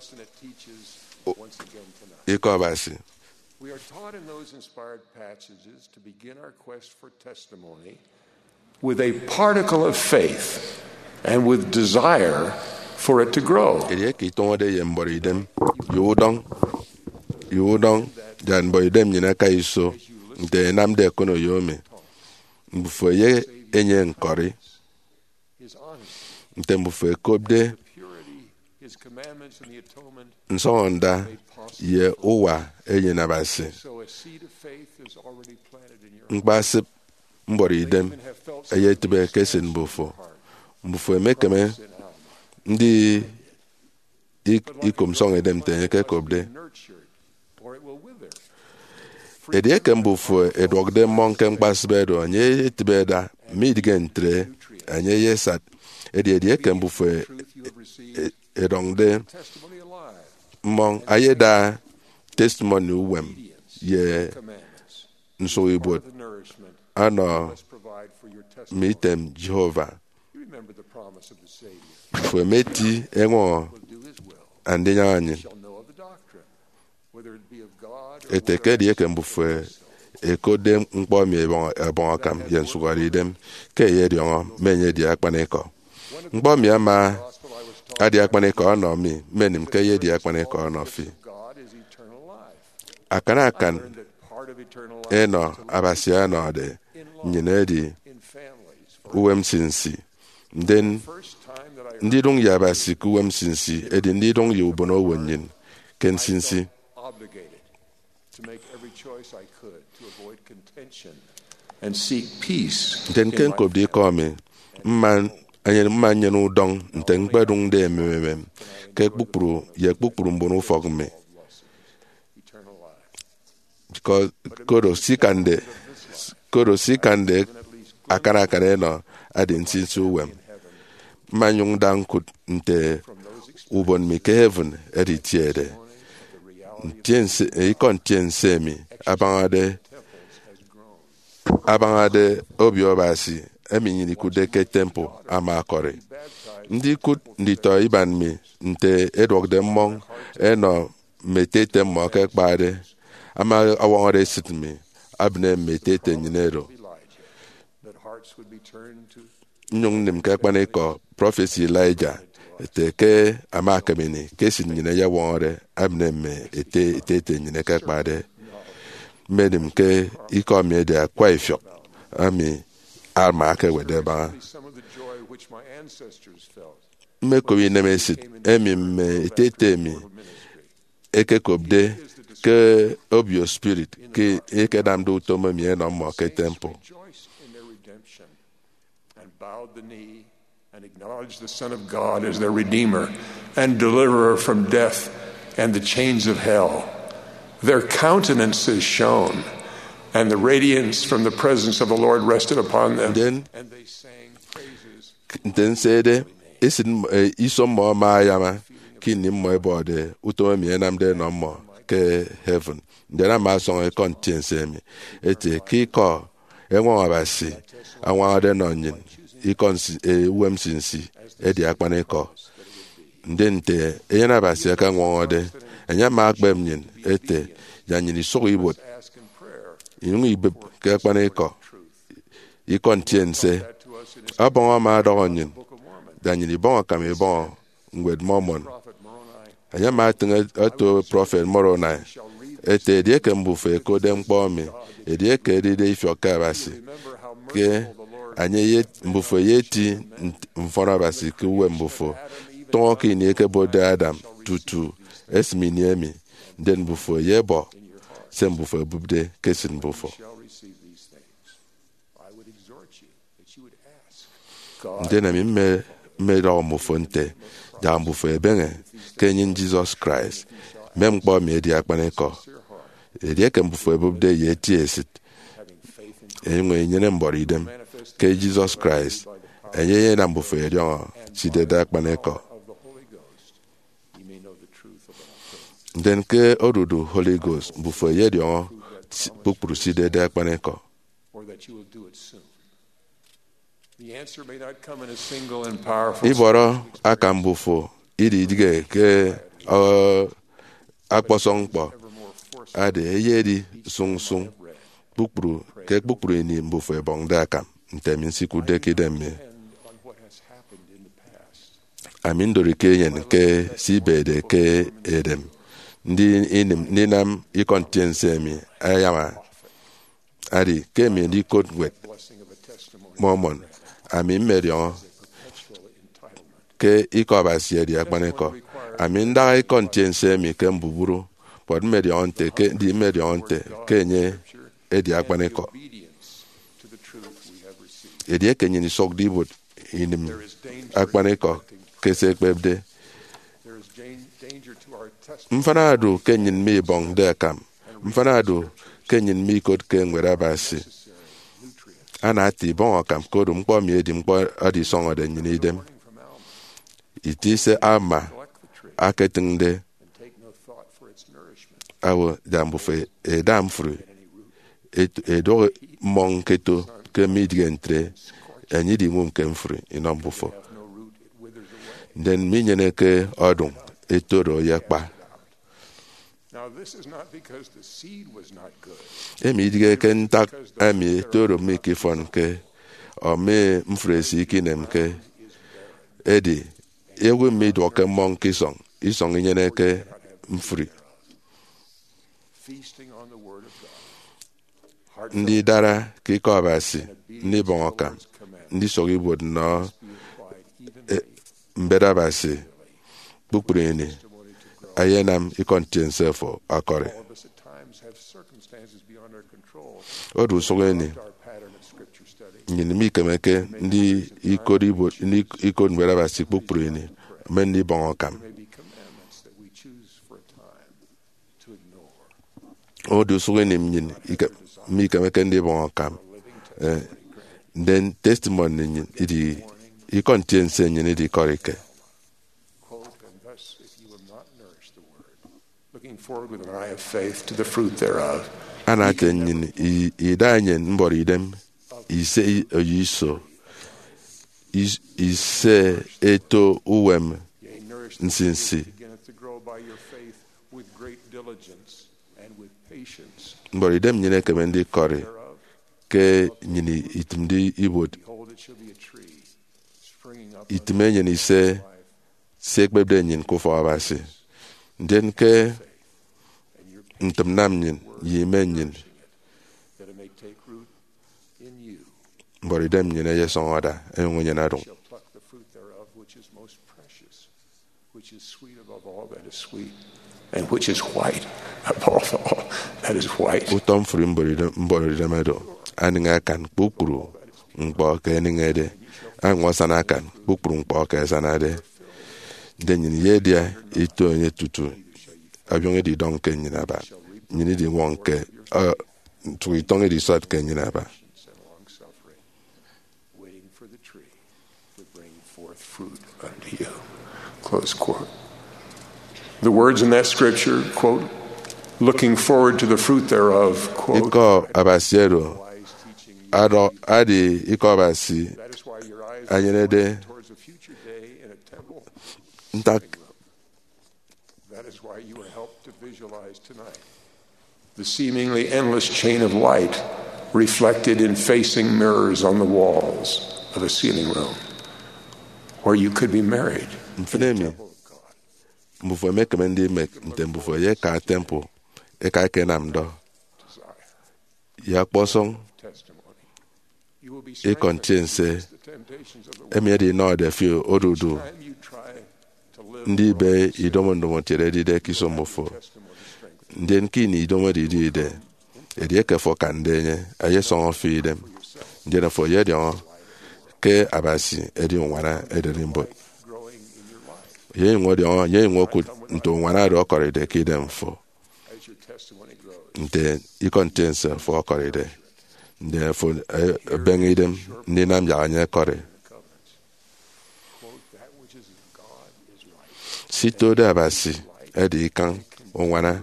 o-, ikọ Abasi. We are taught in those inspired passages to begin our quest for testimony with a particle of faith and with desire for it to grow. Edieke itọñọde ye mbọrọ idem, ye udọñ, ye udọñ, Yak mbọhidem nnyịn aka iso nte ẹnamde ẹkono ye emi. Mbufo ye enye ñkọri nte mbufo ẹkopde nsọñọnda ye uwa Eyen Abasi. Ñkpasịp mbuọtidem eyetịbe ke esịt mbufo. Mbufo emekeme ndi ik- ikom nsọñidem nte enye ekekopde. Edieke mbufo ẹduọkde mmọñ ke ñkpasịp edu, enye eyetịbe ẹda, midịghe ntre, enye eyesat. Edi edieke mbufo e- e- ẹdọñde mmọñ, ẹyeda testimoni uwem ye nsụkibuot ọnọ mme item Jehovah. Mbufo emeti eñwọñọ andinyaña nnyịn ete ke edieke mbufo ẹkotde ñkpọ emi ẹbọñ, ẹbọñ akam ye nsụhọdeidem, ke ẹyediọñọ mme enye edi akpanikọ. Ñkpọ emi ama adi akpanikọ ọnọ mi, mmenịm ke eyedi akpanikọ ọnọ fi. Akan akan enọ Abasi ọnọde nnyịn edi uwem nsinsi. Ndien, ndidụñ ye Abasi ke uwem nsinsi edi ndidụñ ye ubonowo nnyịn ke nsinsi. Ndien ke ñkopde ikọ mi, mma, mma nnyene udọñ nte ñkpedụñde emem emem ke kpukpru ye kpukpru mbon ufọk mi. Because koro se ikande, koro se ikande akan akan enọ adi nsinsi uwem. Mma nnyụñ nda ñkụt nte ubon mi ke heaven editiede. Ntiense, ikọ ntiense emi abañade abañade Obio Abasi emi nnyịn ikụtde ke temple ama ọkọri. Ndikụt nditọ iban mi nte ẹduọkde mmọñ ẹnọ mme ete ete mmọ ke ẹkpade, ama ọwọñọde esịt mi, abịne mme ete ete nnyịn oro. Nnyụñ nnịm ke akpanikọ prọfesi Elijah ete ke ama akam ini ke esịt nnyịn ẹyewọñọde, abịne mme ete ete ete nnyịn ẹkekpade. Mmenịm ke ikọ mi edi akwa ifiọk emi Alma ekewetde ẹbaña. Mmekop inemesịt emi mme ete ete mi ẹkekopde ke Obio Spirit ke ẹkenamde utom emi ẹnọ mmọ ke temple. And bowed the knee and acknowledged the Son of God as their Redeemer and Deliverer from death and the chains of hell. Their countenances shone, and the radiance from the presence of the Lord rested upon them. Ndien, and they sang praises. Nte nsede, esịt m- eh, iso mmọ ama ayama ke ini mmọ ẹbọde utom emi ẹnamde ẹnọ mmọ ke heaven. Ndien ama ọsọñọ ikọ ntiense emi ete ke ikọ eñwọñọ Abasi añwañade ẹnọ nnyịn ikọ nsi- eh, uwem nsinsi edi akpanikọ. Ndien nte Eyen Abasi akañwañade, enye ama akpep nnyịn ete yak nnyịn isụk ibuot, inyụñ ibịp ke akpanikọ ikọ ntiense. Ọbọñ ama ọdọhọ nnyịn yak nnyịn ibọñ akam ibọñọ Ñwed Mormon. Enye ama etịñ eto prọfet Moroni ete, edieke mbufo ẹkotde ñkpọ emi, edieke edide ifiọk ke Abasi, ke enye ye mbufo eyeti nt- mfọn Abasi ke uwem mbufo, tụñọ ke ini ẹkebotde Adam tutu esịm ini emi, ndien mbufo ẹyebọ se mbufo ẹbụpde ke esịt mbufo. Ndien ami mme- mmedọhọ mbufo nte, yak mbufo ẹbeñe ke enyịñ Jesus Christ, mme ñkpọ emi edi akpanikọ. Edieke mbufo ẹbụpde ye eti esịt, ẹnyụñ ẹnyene mbuọtidem ke Jesus Christ, enye eyenam mbufo ẹdiọñọ se idide akpanikọ. Ndien ke odudu Holy Ghost, mbufo ẹyediọñọ si- kpukpru se idide akpanikọ. Ibọrọ akam mbufo idighe ke, uh, ọkpọsọñ ñkpọ. Ade, eyedi sụñsụñ kpukpru ke kpukpru ini mbufo ẹbọñde akam, nte ami nsikụtde ke idem mi. Ami ndorike enyịn ke se ibede ke edem. ndi-, inim ndinam ikọ ntiense emi ayama. Adi ke emi ndikot ñwed Mormon, ami mmediọñọ ke Ikọ Abasi edi akpanikọ. Ami ndaha ikọ ntiense emi ke mbubru, but mmediọñọ nte ke, ndi mmediọñọ nte ke enye edi akpanikọ. Edieke nnyịn isụkde ibuot inim akpanikọ ke se ekpepde, mfịna odu ke nnyịn mibọñde akam. Mfịna odu ke nnyịn mikotke Ñwed Abasi. Ana ata ibọñ akam, koro ñkpọ emi edi ñkpọ edisọñọde nnyịn idem. Iti se Alma aketịñde, awo, da mbufo eda mfri, et-, edọk mmọñ ñketo, ke midịghe ntre, enye idiñwụm ke mfri inọ mbufo, ndien minyeneke ọdụñ, eto do ye kpa. Emi idịghe ke ntak emi eto oro mikifọnke, ọ mme mfri esie ikinemke. Edi, ewe miduọkke mmọñ ke isọñ, isọñ inyeneke mfri? Ndidara ke Ikọ Abasi, ndibọñ akam, ndisụk ibuot nnọ, e, mbet Abasi kpukpru ini, ayenam ikọ ntiense fo ọkọri. Odu usụk ini, nnyịn mikemeke ndi ikot ibuot, ndi ikot Ñwed Abasi kpukpru ini, mme ndibọñ akam. Odu usụk ini nnyịn ike-, mikemeke ndibọñ akam. Eh, ndien testimony nnyịn idi, ikọ ntiense nnyịn idikọrike. Looking forward with an eye of faith to the fruit thereof. Ana ete nnyịn i-, ida enyịn mbọrọ idem, ise i-, oyo iso, is-, ise eto uwem nsinsi. Yea, nourish them which beginneth to grow by your faith with great diligence and with patience. Mbọrọ idem nnyịn ekeme ndikọri ke nnyịn itịmde ibuot. Behold, it shall be a tree springing up itịm enyịn ise se ekpepde nnyịn ke ufọk Abasi. Ndien ke ntịmnnam nnyịn ye ime nnyịn, that it may take root in you. Mbọrọ idem nnyịn eyesọñọ ada, enyụñ enyene ọdụñ. Shall pluck the fruit thereof, which is most precious, which is sweet above all that is sweet, and which is white above all that is white. Utọ mfri mbọrọ idem, mbọrọ idem oro, anịñ akan kpukpru ñkpọ ke ẹnịñede, añwa asana akan kpukpru ñkpọ ke ẹsanade. Ndien nnyịn iyedia ito enye tutu abiọñ edidọñ ke nnyịn aba. Nnyịn idiñwọñ ke, uh, ntụk itọñ edisọt ke nnyịn aba. Waiting for the tree to bring forth fruit unto you. Close quote. The words in that scripture, quote, looking forward to the fruit thereof, quote, Ikọ Abasi oro, adọ, adi ikọ Abasi that is why your eyes are enyenede pointed towards a future day in a temple. Ntak That is why you were helped to visualize tonight the seemingly endless chain of light reflected in facing mirrors on the walls of a ceiling room where you could be married in the temple of God. Mfịn emi, mbufo emekeme ndimek nte mbufo eyeka temple eka ekenam ndọ ye ọkpọsọñ ikọ ntiense emi edinọde fi odudu ndibe idomo ndomokiet edide ke iso mmufo. Ndien ke ini idomo edidide, edieke fo akande enye, eyesọñọ fi idem, ndien afo eyediọñọ ke Abasi edi uñwana ererimbot. Eyenyụñ ọdiọñọ, eyenyụñ okụt nte uñwana oro ọkọride ke idem fo. Nte ikọ ntiense fo ọkọride, ndien fo, eh, ebeñe idem ndinam yak enye ẹkọri. Sitode Abasi edi ikañ uñwana,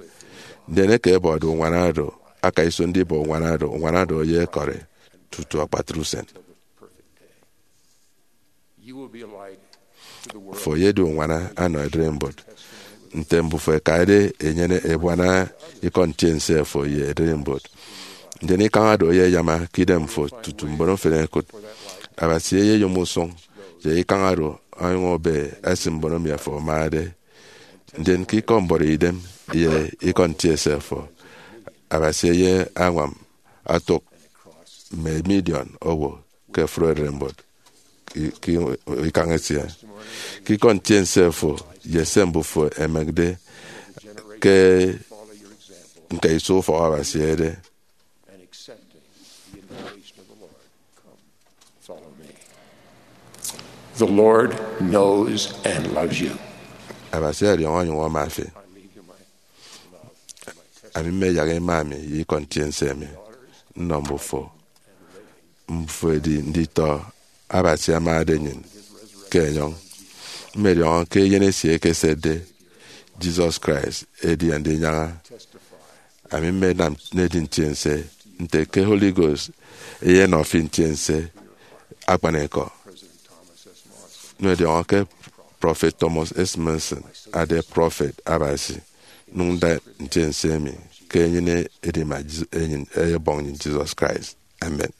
ndien eke ẹbọde uñwana oro, aka iso ndibọ uñwana oro, uñwana oro eyekọri tutu akpatre usen. Fo eyedi uñwana anọ ererimbot, nte mbufo ẹkade ẹnyene ebuana ikọ ntiense fo ye ererimbot. Ndien ikañ oro eyeyama ke idem fo tutu mbon mfịn ẹkụt. Abasi eyeyom usụñ ye ikañ oro onyụñ ebe ẹsịn mbon emi afo amade. Ndien ke ikọ mbọrọ idem, ye ikọ ntiense fo. Abasi eyeañwam otụk mme miliọn owo ke ofụri ererimbot ke ikañ esie. Ke ikọ ntiense fo ye se mbufo ẹmekde ke ñkaiso ufọk Abasi ede, The Lord knows and loves you. Abasi ọdiọñọ onyụñ ama fi. Ami mmeyak ima mi ye ikọ ntiense mi nnọ mbufo. Mbufo edi nditọ Abasi amade nnyịn ke enyọñ. Mmediọñọ ke Eyen esie ekesetde, Jesus Christ, edi Andinyaña. Ami mmenam nnedi ntiense nte ke Holy Ghost eyenọ fi ntiense akpanikọ. Mmediọñọ ke Prọfet Thomas S. Monson ade prọfet Abasi, nnyụñ nda ntiense emi ke enyịn edima Jes-, enyịn eyebọñ nnyịn Jesus Christ. Amen.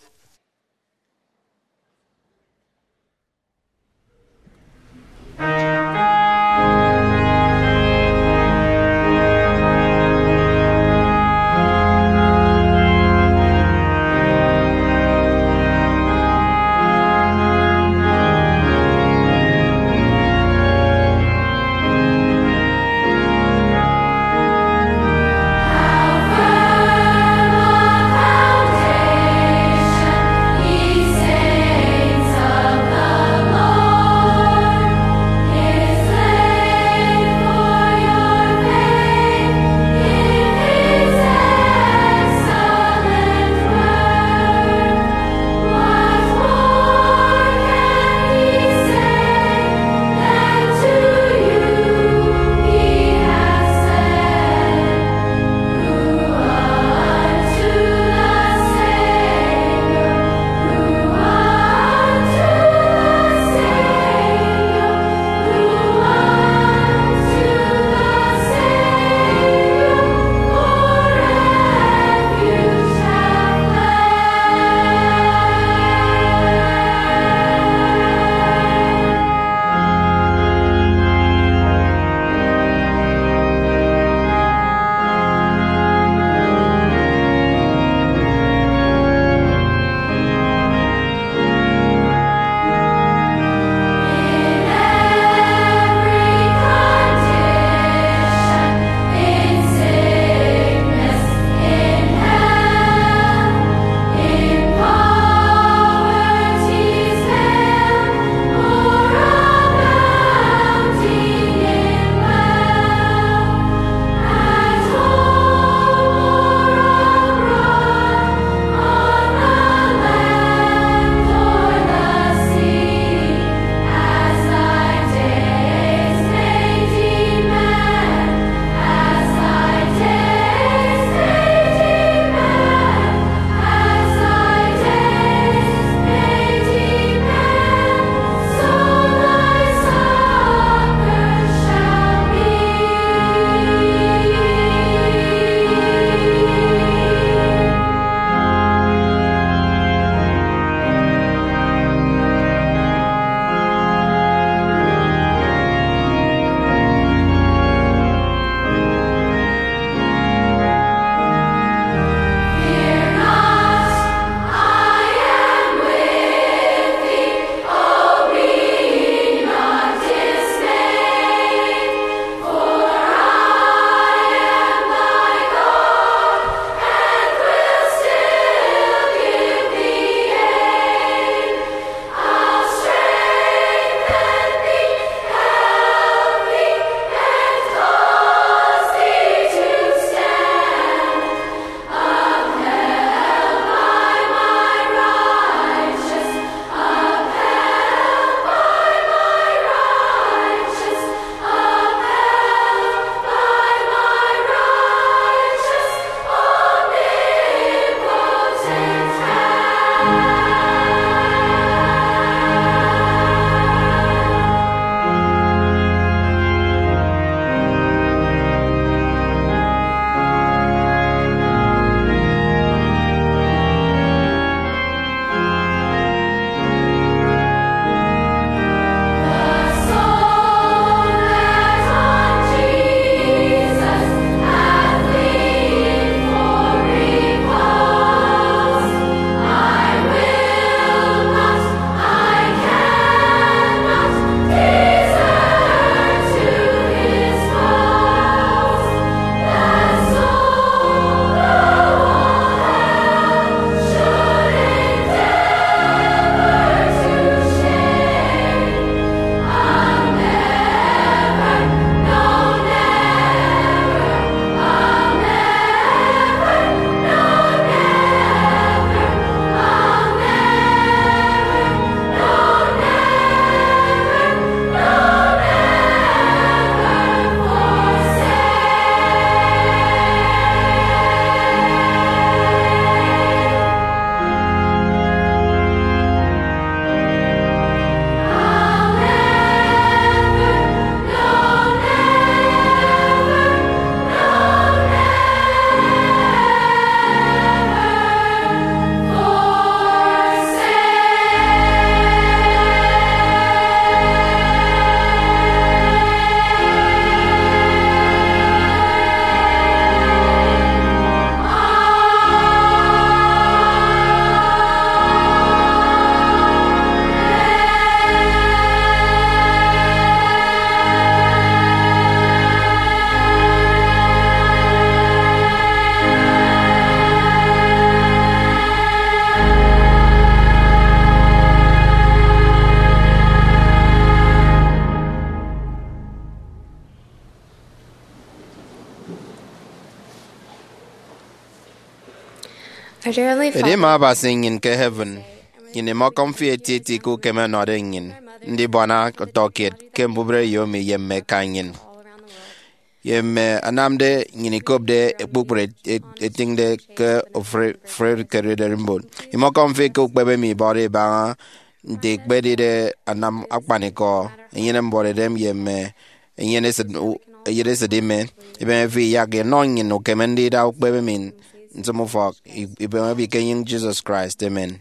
Edi mme Abasi nnyịn ke heaven, nnyịn imọkọm fi etieti ke ukeme ọnọde nnyịn ndibuana ọtọkiet ke mbubreyo mi ye mme eka nnyịn. Ye mme anamde nnyịn ikopde kpukpru et- et- etịñde ke ofụri ofụri ke ererimbot, imọkọm fi ke ukpebe mi ibọde ibaña nte ikpedide anam akpanikọ, enyene mbuọtidem ye mme eyen esịt u- eyen esịt ime. Ibeme fi iyak inọ nnyịn ukeme ndida ukpebe mi ntịm ufọk. I- ibeme fi ke enyịñ Jesus Christ, amen.